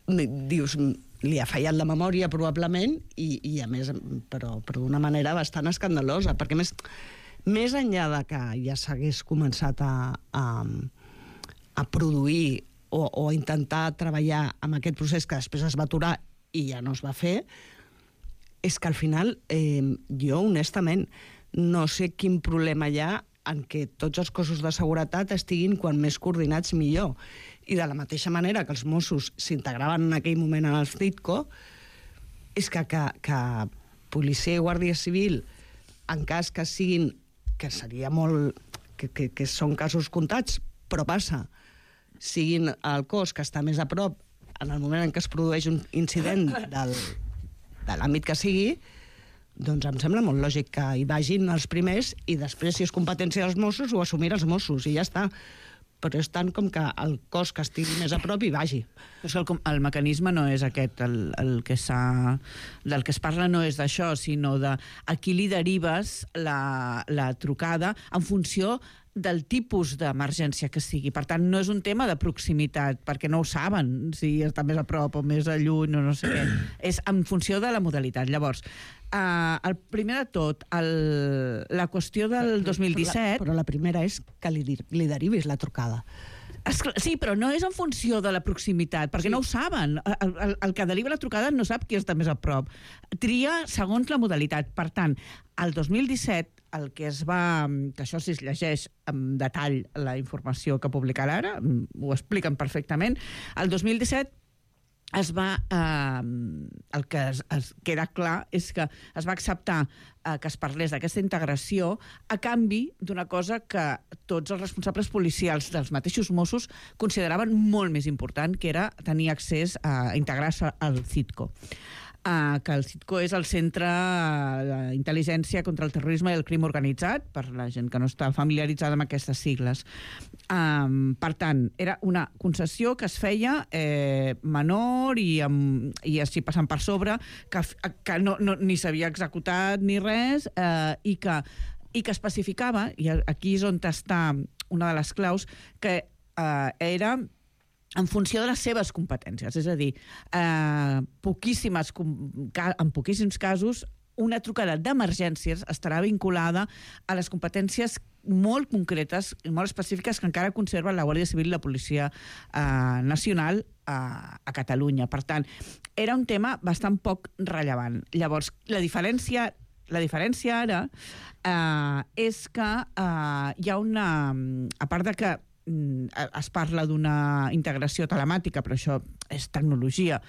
Dius, li ha fallat la memòria probablement i a més, però d'una manera bastant escandalosa, perquè més enllà de que ja s'hagués començat a produir o a intentar treballar amb aquest procés que després es va aturar i ja no es va fer, és que al final jo honestament no sé quin problema hi ha en què tots els cossos de seguretat estiguin quan més coordinats millor. I de la mateixa manera que els Mossos s'integraven en aquell moment en el CITCO, és que policia i guàrdia civil, en cas que siguin, que seria molt... que són casos comptats, però passa, siguin el cos que està més a prop en el moment en què es produeix un incident de l'àmbit que sigui, doncs em sembla molt lògic que hi vagin els primers i després, si és competència dels Mossos, ho assumirà els Mossos i ja està. Però és tant com que el cos que estigui més a prop hi vagi. El mecanisme no és aquest, del que es parla no és d'això, sinó de a qui li derives la trucada en funció del tipus d'emergència que sigui. Per tant, no és un tema de proximitat, perquè no ho saben, si està més a prop o més a lluny o no sé què. És en funció de la modalitat. Llavors, el primer de tot, la qüestió del 2017... Però la primera és que li derivis la trucada. Sí, però no és en funció de la proximitat, perquè no ho saben. El que deriva la trucada no sap qui està més a prop. Tria segons la modalitat. Per tant, el 2017, el que es va... que això si es llegeix amb detall la informació que publicarà ara, ho expliquen perfectament, el 2017 el que es queda clar és que es va acceptar que es parlés d'aquesta integració a canvi d'una cosa que tots els responsables policials dels mateixos Mossos consideraven molt més important, que era tenir accés a integrar-se al CITCO. Que el CITCO és el Centre d'Intel·ligència contra el Terrorisme i el Crim Organitzat, per la gent que no està familiaritzada amb aquestes sigles. Per tant, era una concessió que es feia menor i així passant per sobre, que ni s'havia executat ni res, i que especificava, i aquí és on està una de les claus, que era en funció de les seves competències. És a dir, en poquíssims casos una trucada d'emergències estarà vinculada a les competències molt concretes i molt específiques que encara conserva la Guàrdia Civil i la Policia Nacional a Catalunya. Per tant, era un tema bastant poc rellevant. Llavors, la diferència ara és que hi ha una... A part de que es parla d'una integració telemàtica, però això és tecnologia,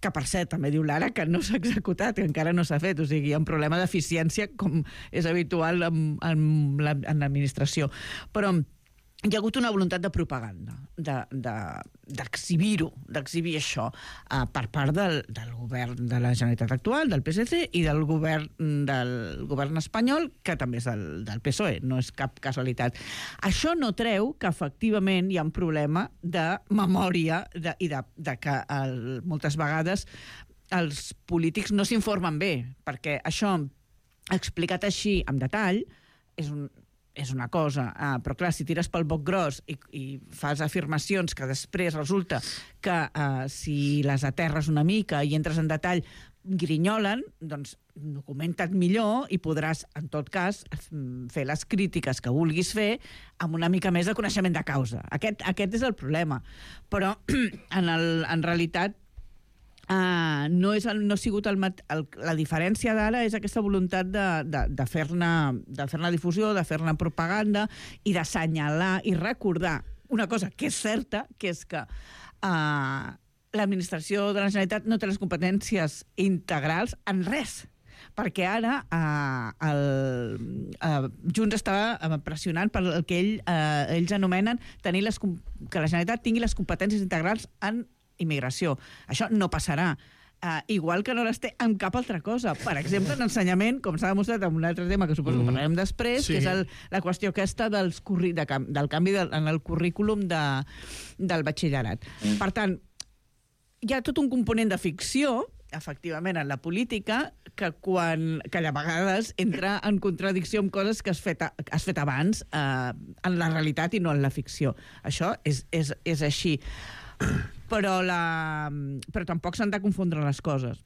que per cert, també diu l'Ara que no s'ha executat, que encara no s'ha fet, o sigui, hi ha un problema d'eficiència com és habitual en l'administració. Però hi ha hagut una voluntat de propaganda, d'exhibir-ho, d'exhibir això per part del govern de la Generalitat actual, del PSC, i del govern espanyol, que també és del PSOE, no és cap casualitat. Això no treu que, efectivament, hi ha un problema de memòria i de que moltes vegades els polítics no s'informen bé, perquè això, explicat així, amb detall, és una cosa, però clar, si tires pel boc gros i fas afirmacions que després resulta que si les aterres una mica i entres en detall grinyolen, doncs documenta't millor i podràs, en tot cas, fer les crítiques que vulguis fer amb una mica més de coneixement de causa. Aquest és el problema. Però, en realitat, no ha sigut la diferència d'ara és aquesta voluntat de fer-ne difusió, de fer-ne propaganda i d'assenyalar i recordar una cosa que és certa, que és que l'administració de la Generalitat no té les competències integrals en res, perquè ara Junts estava pressionant per el que ells anomenen que la Generalitat tingui les competències integrals en immigració. Això no passarà. Igual que no les té en cap altra cosa. Per exemple, en ensenyament, com s'ha demostrat en un altre tema que suposo que parlarem després, que és la qüestió aquesta del canvi en el currículum del batxillerat. Per tant, hi ha tot un component de ficció, efectivament, en la política, que a vegades entra en contradicció amb coses que has fet abans en la realitat i no en la ficció. Això és així. Però tampoc s'han de confondre les coses.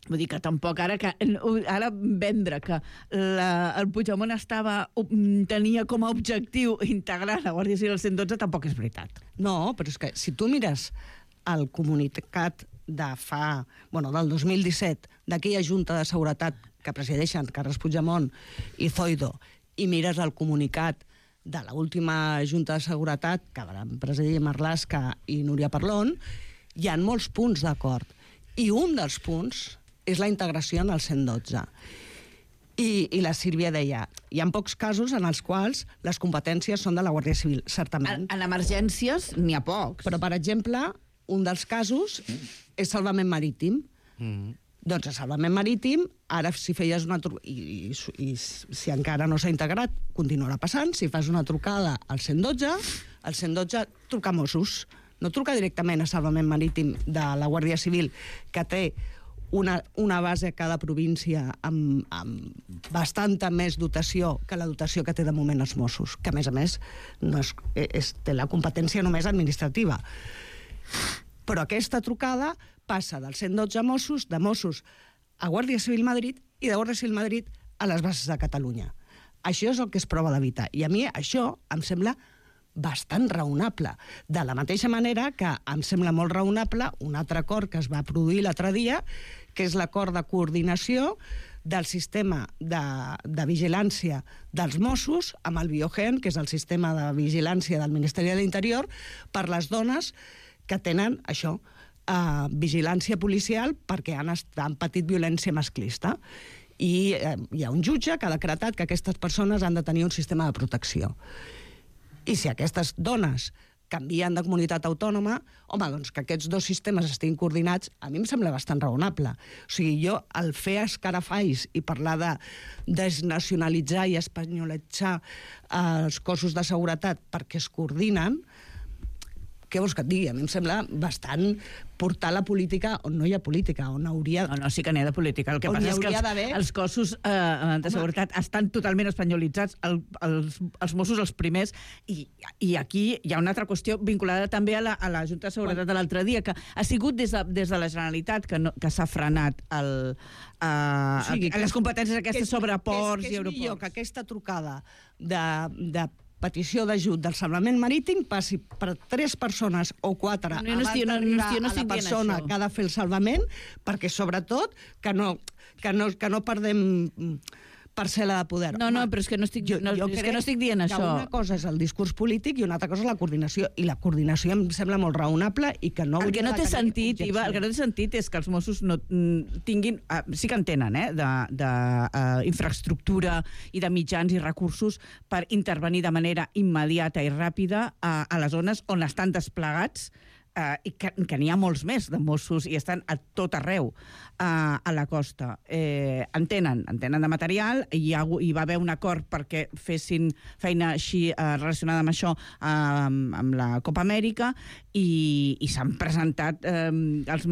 Vull dir que tampoc ara vendre que el Puigdemont tenia com a objectiu integrar la Guàrdia Civil al 112 tampoc és veritat. No, però és que si tu mires el comunicat del 2017 d'aquella Junta de Seguretat que presideixen Carles Puigdemont i Zoido i mires el comunicat de l'última Junta de Seguretat que van presidir Marlaska i Núria Parlon, hi ha molts punts d'acord. I un dels punts és la integració en el 112. I la Sílvia deia, hi ha pocs casos en els quals les competències són de la Guàrdia Civil, certament. En emergències n'hi ha pocs. Però, per exemple, un dels casos és salvament marítim. Doncs a salvament marítim, ara si feies una trucada, i si encara no s'ha integrat, continuarà passant, si fas una trucada al 112, el 112 truca Mossos, no truca directament a salvament marítim de la Guàrdia Civil, que té una base a cada província amb bastanta més dotació que la dotació que té de moment els Mossos, que a més té la competència només administrativa. Però aquesta trucada passa del 112 a Mossos, de Mossos a Guàrdia Civil Madrid i de Guàrdia Civil Madrid a les bases de Catalunya. Això és el que es prova d'evitar. I a mi això em sembla bastant raonable. De la mateixa manera que em sembla molt raonable un altre acord que es va produir l'altre dia, que és l'acord de coordinació del sistema de vigilància dels Mossos amb el Biogen, que és el sistema de vigilància del Ministeri de l'Interior, per les dones que tenen això, vigilància policial perquè han patit violència masclista. I hi ha un jutge que ha decretat que aquestes persones han de tenir un sistema de protecció. I si aquestes dones canvien de comunitat autònoma, home, doncs que aquests dos sistemes estiguin coordinats, a mi em sembla bastant raonable. O sigui, jo, el fer escarafalls i parlar de desnacionalitzar i espanyolitzar els cossos de seguretat perquè es coordinen, què vols que et digui? A mi em sembla bastant portar la política on no hi ha política, on hauria... No, sí que n'hi ha de política. El que passa és que els cossos de seguretat estan totalment espanyolitzats, els Mossos els primers, i aquí hi ha una altra qüestió vinculada també a la Junta de Seguretat de l'altre dia, que ha sigut des de la Generalitat que s'ha frenat les competències aquestes sobre ports i aeroports. És millor que aquesta trucada de petició d'ajut del salvament marítim passi per 3 persones o 4 abans d'arribar a la persona que ha de fer el salvament, perquè sobretot que no perdem parcel·la de poder. No, però és que no estic dient això. Una cosa és el discurs polític i una altra cosa és la coordinació. I la coordinació em sembla molt raonable i que no... El que no té sentit, Iva, el que no té sentit és que els Mossos no tinguin... Sí que en tenen, d'infraestructura i de mitjans i recursos per intervenir de manera immediata i ràpida a les zones on estan desplegats i que n'hi ha molts més de Mossos i estan a tot arreu a la costa. En tenen de material, hi va haver un acord perquè fessin feina així relacionada amb això amb la Copa Amèrica i s'han presentat els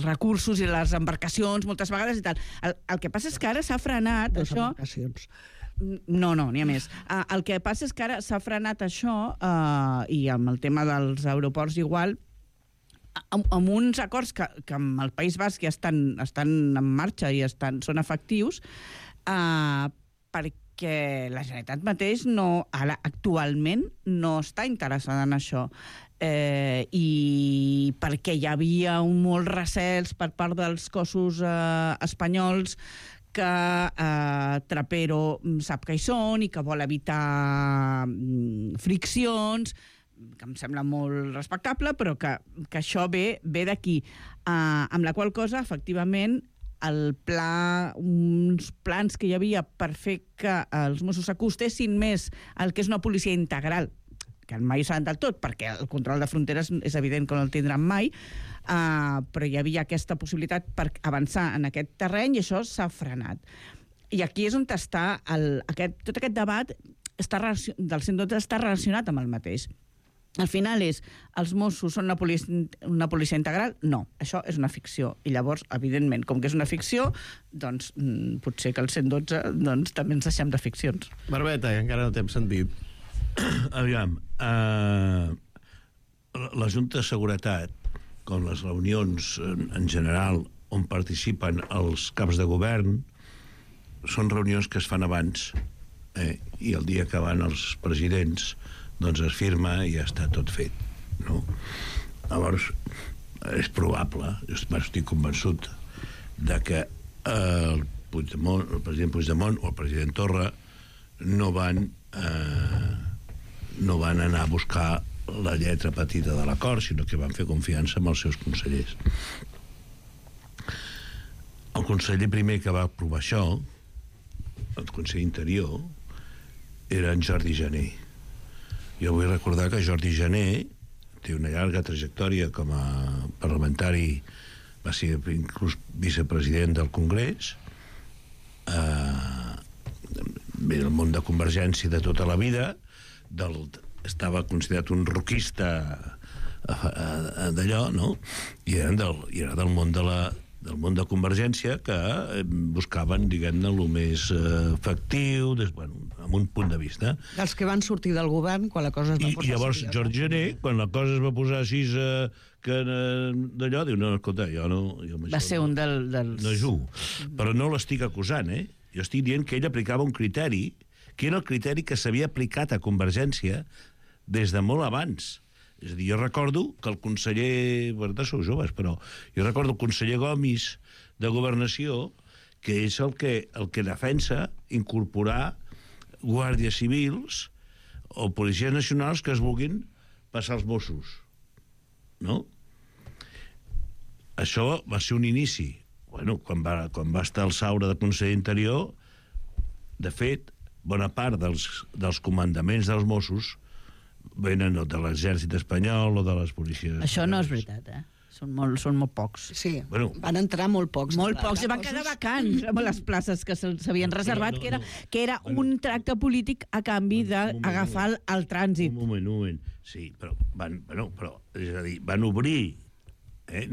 recursos i les embarcacions moltes vegades i tal. El que passa és que ara s'ha frenat això... No, n'hi ha més. El que passa és que ara s'ha frenat això i amb el tema dels aeroports igual, amb uns acords que amb el País Basc ja estan en marxa i són efectius, perquè la Generalitat mateix actualment no està interessada en això. I perquè hi havia molts recels per part dels cossos espanyols que Trapero sap que hi són i que vol evitar friccions, que em sembla molt respectable, però que això ve d'aquí. Amb la qual cosa, efectivament, uns plans que hi havia per fer que els Mossos s'acostessin més al que és una policia integral, que mai ho saben del tot, perquè el control de fronteres és evident que no el tindran mai, però hi havia aquesta possibilitat per avançar en aquest terreny i això s'ha frenat. I aquí és on està tot aquest debat del 112 està relacionat amb el mateix. Al final els Mossos són una policia integral? No, això és una ficció. I llavors, evidentment, com que és una ficció, doncs potser que el 112 també ens deixem de ficcions. Barbeta, que encara no t'hem sentit. Aviam, la Junta de Seguretat, com les reunions en general on participen els caps de govern, són reunions que es fan abans, i el dia que van els presidents doncs es firma i ja està tot fet, no? Llavors, és probable, estic convençut de que el president Puigdemont o el president Torra no van anar a buscar la lletra petita de l'acord, sinó que van fer confiança amb els seus consellers. El conseller primer que va aprovar això, el conseller Interior, era en Jordi Jané. Jo vull recordar que Jordi Jané té una llarga trajectòria com a parlamentari, va ser inclús vicepresident del Congrés, ve del món de Convergència de tota la vida, estava considerat un roquista d'allò, no? I era del món de Convergència, que buscaven, diguem-ne, el més efectiu, amb un punt de vista. Dels que van sortir del govern quan la cosa es va posar... I llavors Jordi Jané, quan la cosa es va posar així d'allò, diu, no, escolta, jo no... Va ser un dels... No jugo. Però no l'estic acusant, Jo estic dient que ell aplicava un criteri, que era el criteri que s'havia aplicat a Convergència des de molt abans. És a dir, jo recordo que el conseller... Bueno, sou joves, però jo recordo el conseller Gomis de Governació, que és el que defensa incorporar guàrdies civils o policies nacionals que es vulguin passar als Mossos. No? Això va ser un inici. Bueno, quan va estar el Saura de conseller Interior, de fet, bona part dels comandaments dels Mossos venen de l'exèrcit espanyol o de les policies... Això no és veritat, Són molt pocs. Sí, van entrar molt pocs. Molt pocs, i van quedar vacants amb les places que s'havien reservat, que era un tracte polític a canvi d'agafar el trànsit. Un moment. Sí, però és a dir, van obrir,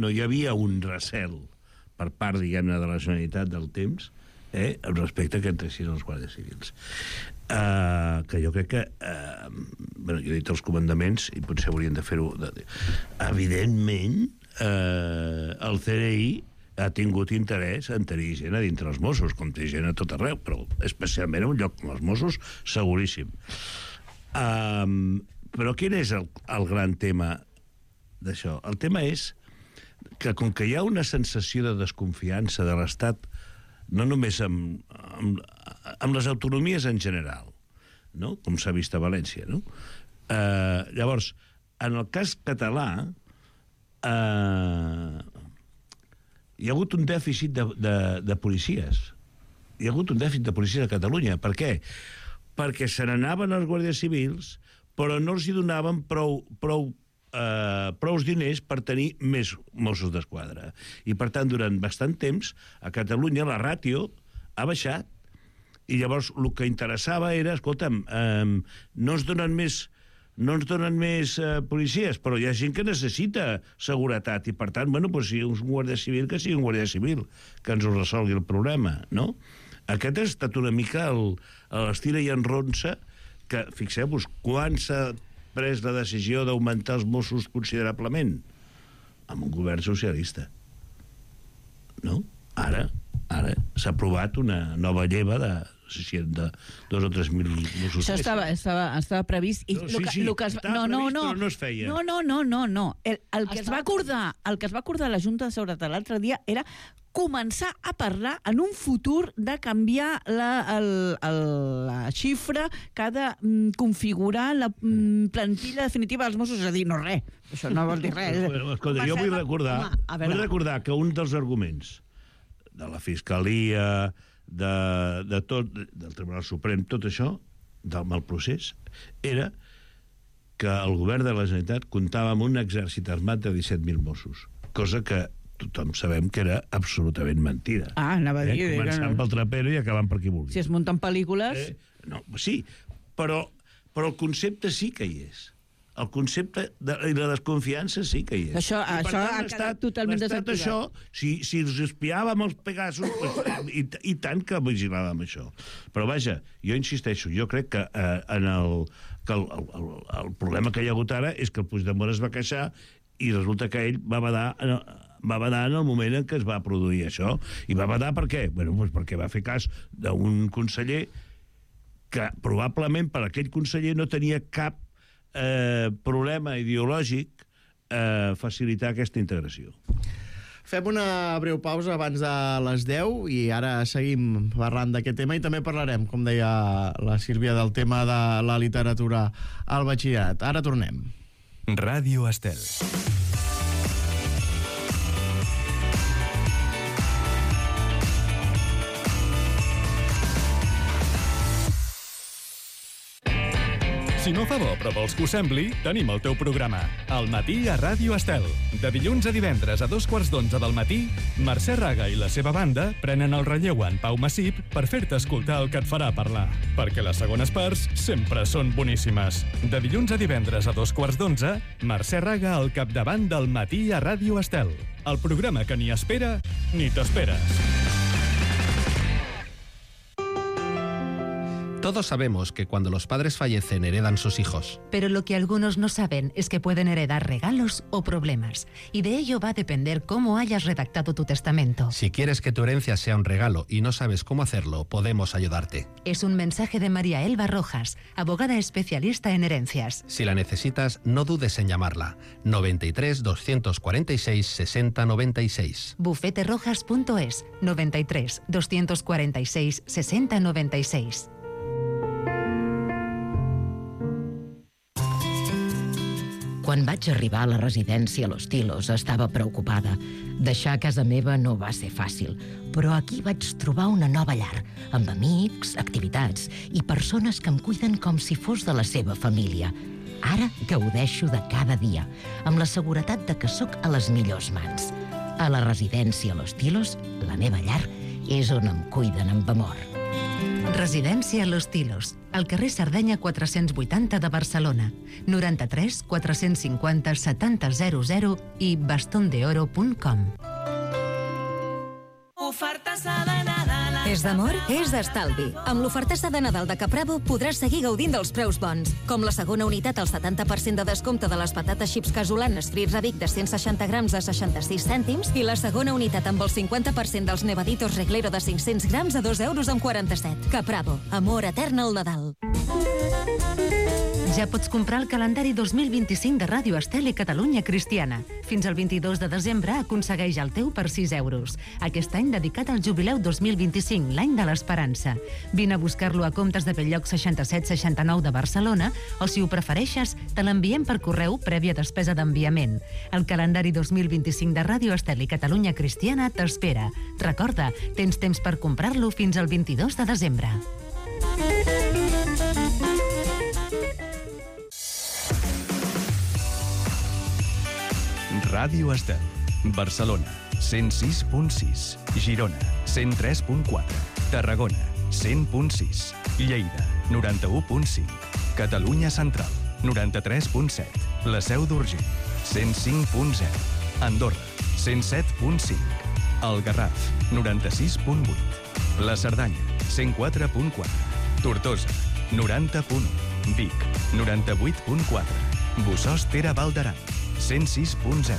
no hi havia un recel per part, diguem-ne, de la Generalitat del temps, respecte que entressin els guàrdies civils. Que jo crec que jo he dit els comandaments i potser haurien de fer-ho evidentment el CNI ha tingut interès en tenir gent a dintre els Mossos, com té gent a tot arreu, però especialment a un lloc com els Mossos, seguríssim. Però quin és el gran tema d'això? El tema és que com que hi ha una sensació de desconfiança de l'Estat, no només amb les autonomies en general, no? Com s'ha vist a València, no? Llavors, en el cas català, hi ha hagut un dèficit de policies. Hi ha hagut un dèficit de policies a Catalunya. Per què? Perquè se n'anaven els guàrdies civils, però no els hi donaven prous diners per tenir més Mossos d'Esquadra. I, per tant, durant bastant temps, a Catalunya la ràtio ha baixat. I llavors el que interessava era, escolta'm, no ens donen més policies, però hi ha gent que necessita seguretat i, per tant, si un guàrdia civil, que sigui un guàrdia civil, que ens ho resolgui el problema, no? Aquest ha estat una mica l'estira i enronsa que, fixeu-vos, quan s'ha pres la decisió d'augmentar els Mossos considerablement? Amb un govern socialista. No? Ara s'ha aprovat una nova lleva de 2 o 3 mil Mossos. Això estava previst. I no es feia. No. El que es va acordar a la Junta de Seguretat l'altre dia era començar a parlar en un futur de canviar la xifra que ha de configurar la plantilla definitiva dels Mossos. És a dir, no res. Això no vol dir res. Escolta, jo vull recordar que un dels arguments de la Fiscalia, del Tribunal Suprem, tot això, del mal procés, era que el govern de la Generalitat comptava amb un exèrcit armat de 17.000 Mossos, cosa que tothom sabem que era absolutament mentida. Anava a dir... Començant pel trapero i acabant per qui vulgui. Si es munten pel·lícules... Sí, però el concepte sí que hi és. El concepte i la desconfiança sí que hi és. Això ha quedat totalment desactivat. Això, si els espiàvem els Pegasus, i tant que vigilàvem això. Però vaja, jo insisteixo, jo crec que el problema que hi ha hagut ara és que el Puigdemont es va queixar i resulta que ell va badar en el moment en què es va produir això. I va badar per què? Perquè va fer cas d'un conseller que probablement per aquell conseller no tenia cap problema ideològic facilitar aquesta integració. Fem una breu pausa abans de les 10 i ara seguim parlant d'aquest tema i també parlarem, com deia la Sílvia, del tema de la literatura al batxillerat. Ara tornem. Ràdio Estel. Si no fa bo, però vols que ho sembli, tenim el teu programa. Al matí a Ràdio Estel. De dilluns a divendres a 2:45 del matí, Mercè Raga i la seva banda prenen el relleu en Pau Massip per fer-te escoltar el que et farà parlar. Perquè les segones parts sempre són boníssimes. De dilluns a divendres a 2:45, Mercè Raga al capdavant del matí a Ràdio Estel. El programa que ni espera ni t'esperes. Todos sabemos que cuando los padres fallecen heredan sus hijos. Pero lo que algunos no saben es que pueden heredar regalos o problemas. Y de ello va a depender cómo hayas redactado tu testamento. Si quieres que tu herencia sea un regalo y no sabes cómo hacerlo, podemos ayudarte. Es un mensaje de María Elba Rojas, abogada especialista en herencias. Si la necesitas, no dudes en llamarla. 93 246 60 96. Bufeterojas.es 93 246 60 96. Quan vaig arribar a la residència Los Tilos estava preocupada. Deixar casa meva no va ser fàcil, però aquí vaig trobar una nova llar, amb amics, activitats i persones que em cuiden com si fos de la seva família. Ara gaudeixo de cada dia, amb la seguretat de que sóc a les millors mans. A la residència Los Tilos, la meva llar, és on em cuiden amb amor. Residència Los Tilos, al carrer Sardenya 480 de Barcelona, 93 450 7000 i bastondeoro.com. Ofertassa de Nadal. És d'amor? És d'estalvi. Amb l'ofertassa de Nadal de Capravo podràs seguir gaudint dels preus bons, com la segona unitat al 70% de descompte de les patates xips casolanes frits a Vic de 160 grams a 66 cèntims i la segona unitat amb el 50% dels nevaditos Reglero de 500 grams a 2,47 €. Capravo. Amor etern al Nadal. Ja pots comprar el calendari 2025 de Ràdio Estel i Catalunya Cristiana. Fins al 22 de desembre aconsegueix el teu per 6 €. Aquest any dedicat al jubileu 2025, l'any de l'esperança. Vine a buscar-lo a Comptes de Belllloc 6769 de Barcelona o, si ho prefereixes, te l'enviem per correu prèvia despesa d'enviament. El calendari 2025 de Ràdio Estel i Catalunya Cristiana t'espera. Recorda, tens temps per comprar-lo fins al 22 de desembre. Ràdio Estel, Barcelona, 106.6, Girona, 103.4, Tarragona, 100.6, Lleida, 91.5, Catalunya Central, 93.7, La Seu d'Urgell, 105.0, Andorra, 107.5, El Garraf, 96.8, La Cerdanya, 104.4, Tortosa, 90.1, Vic, 98.4, Bossòst Val d'Aran, 106.0.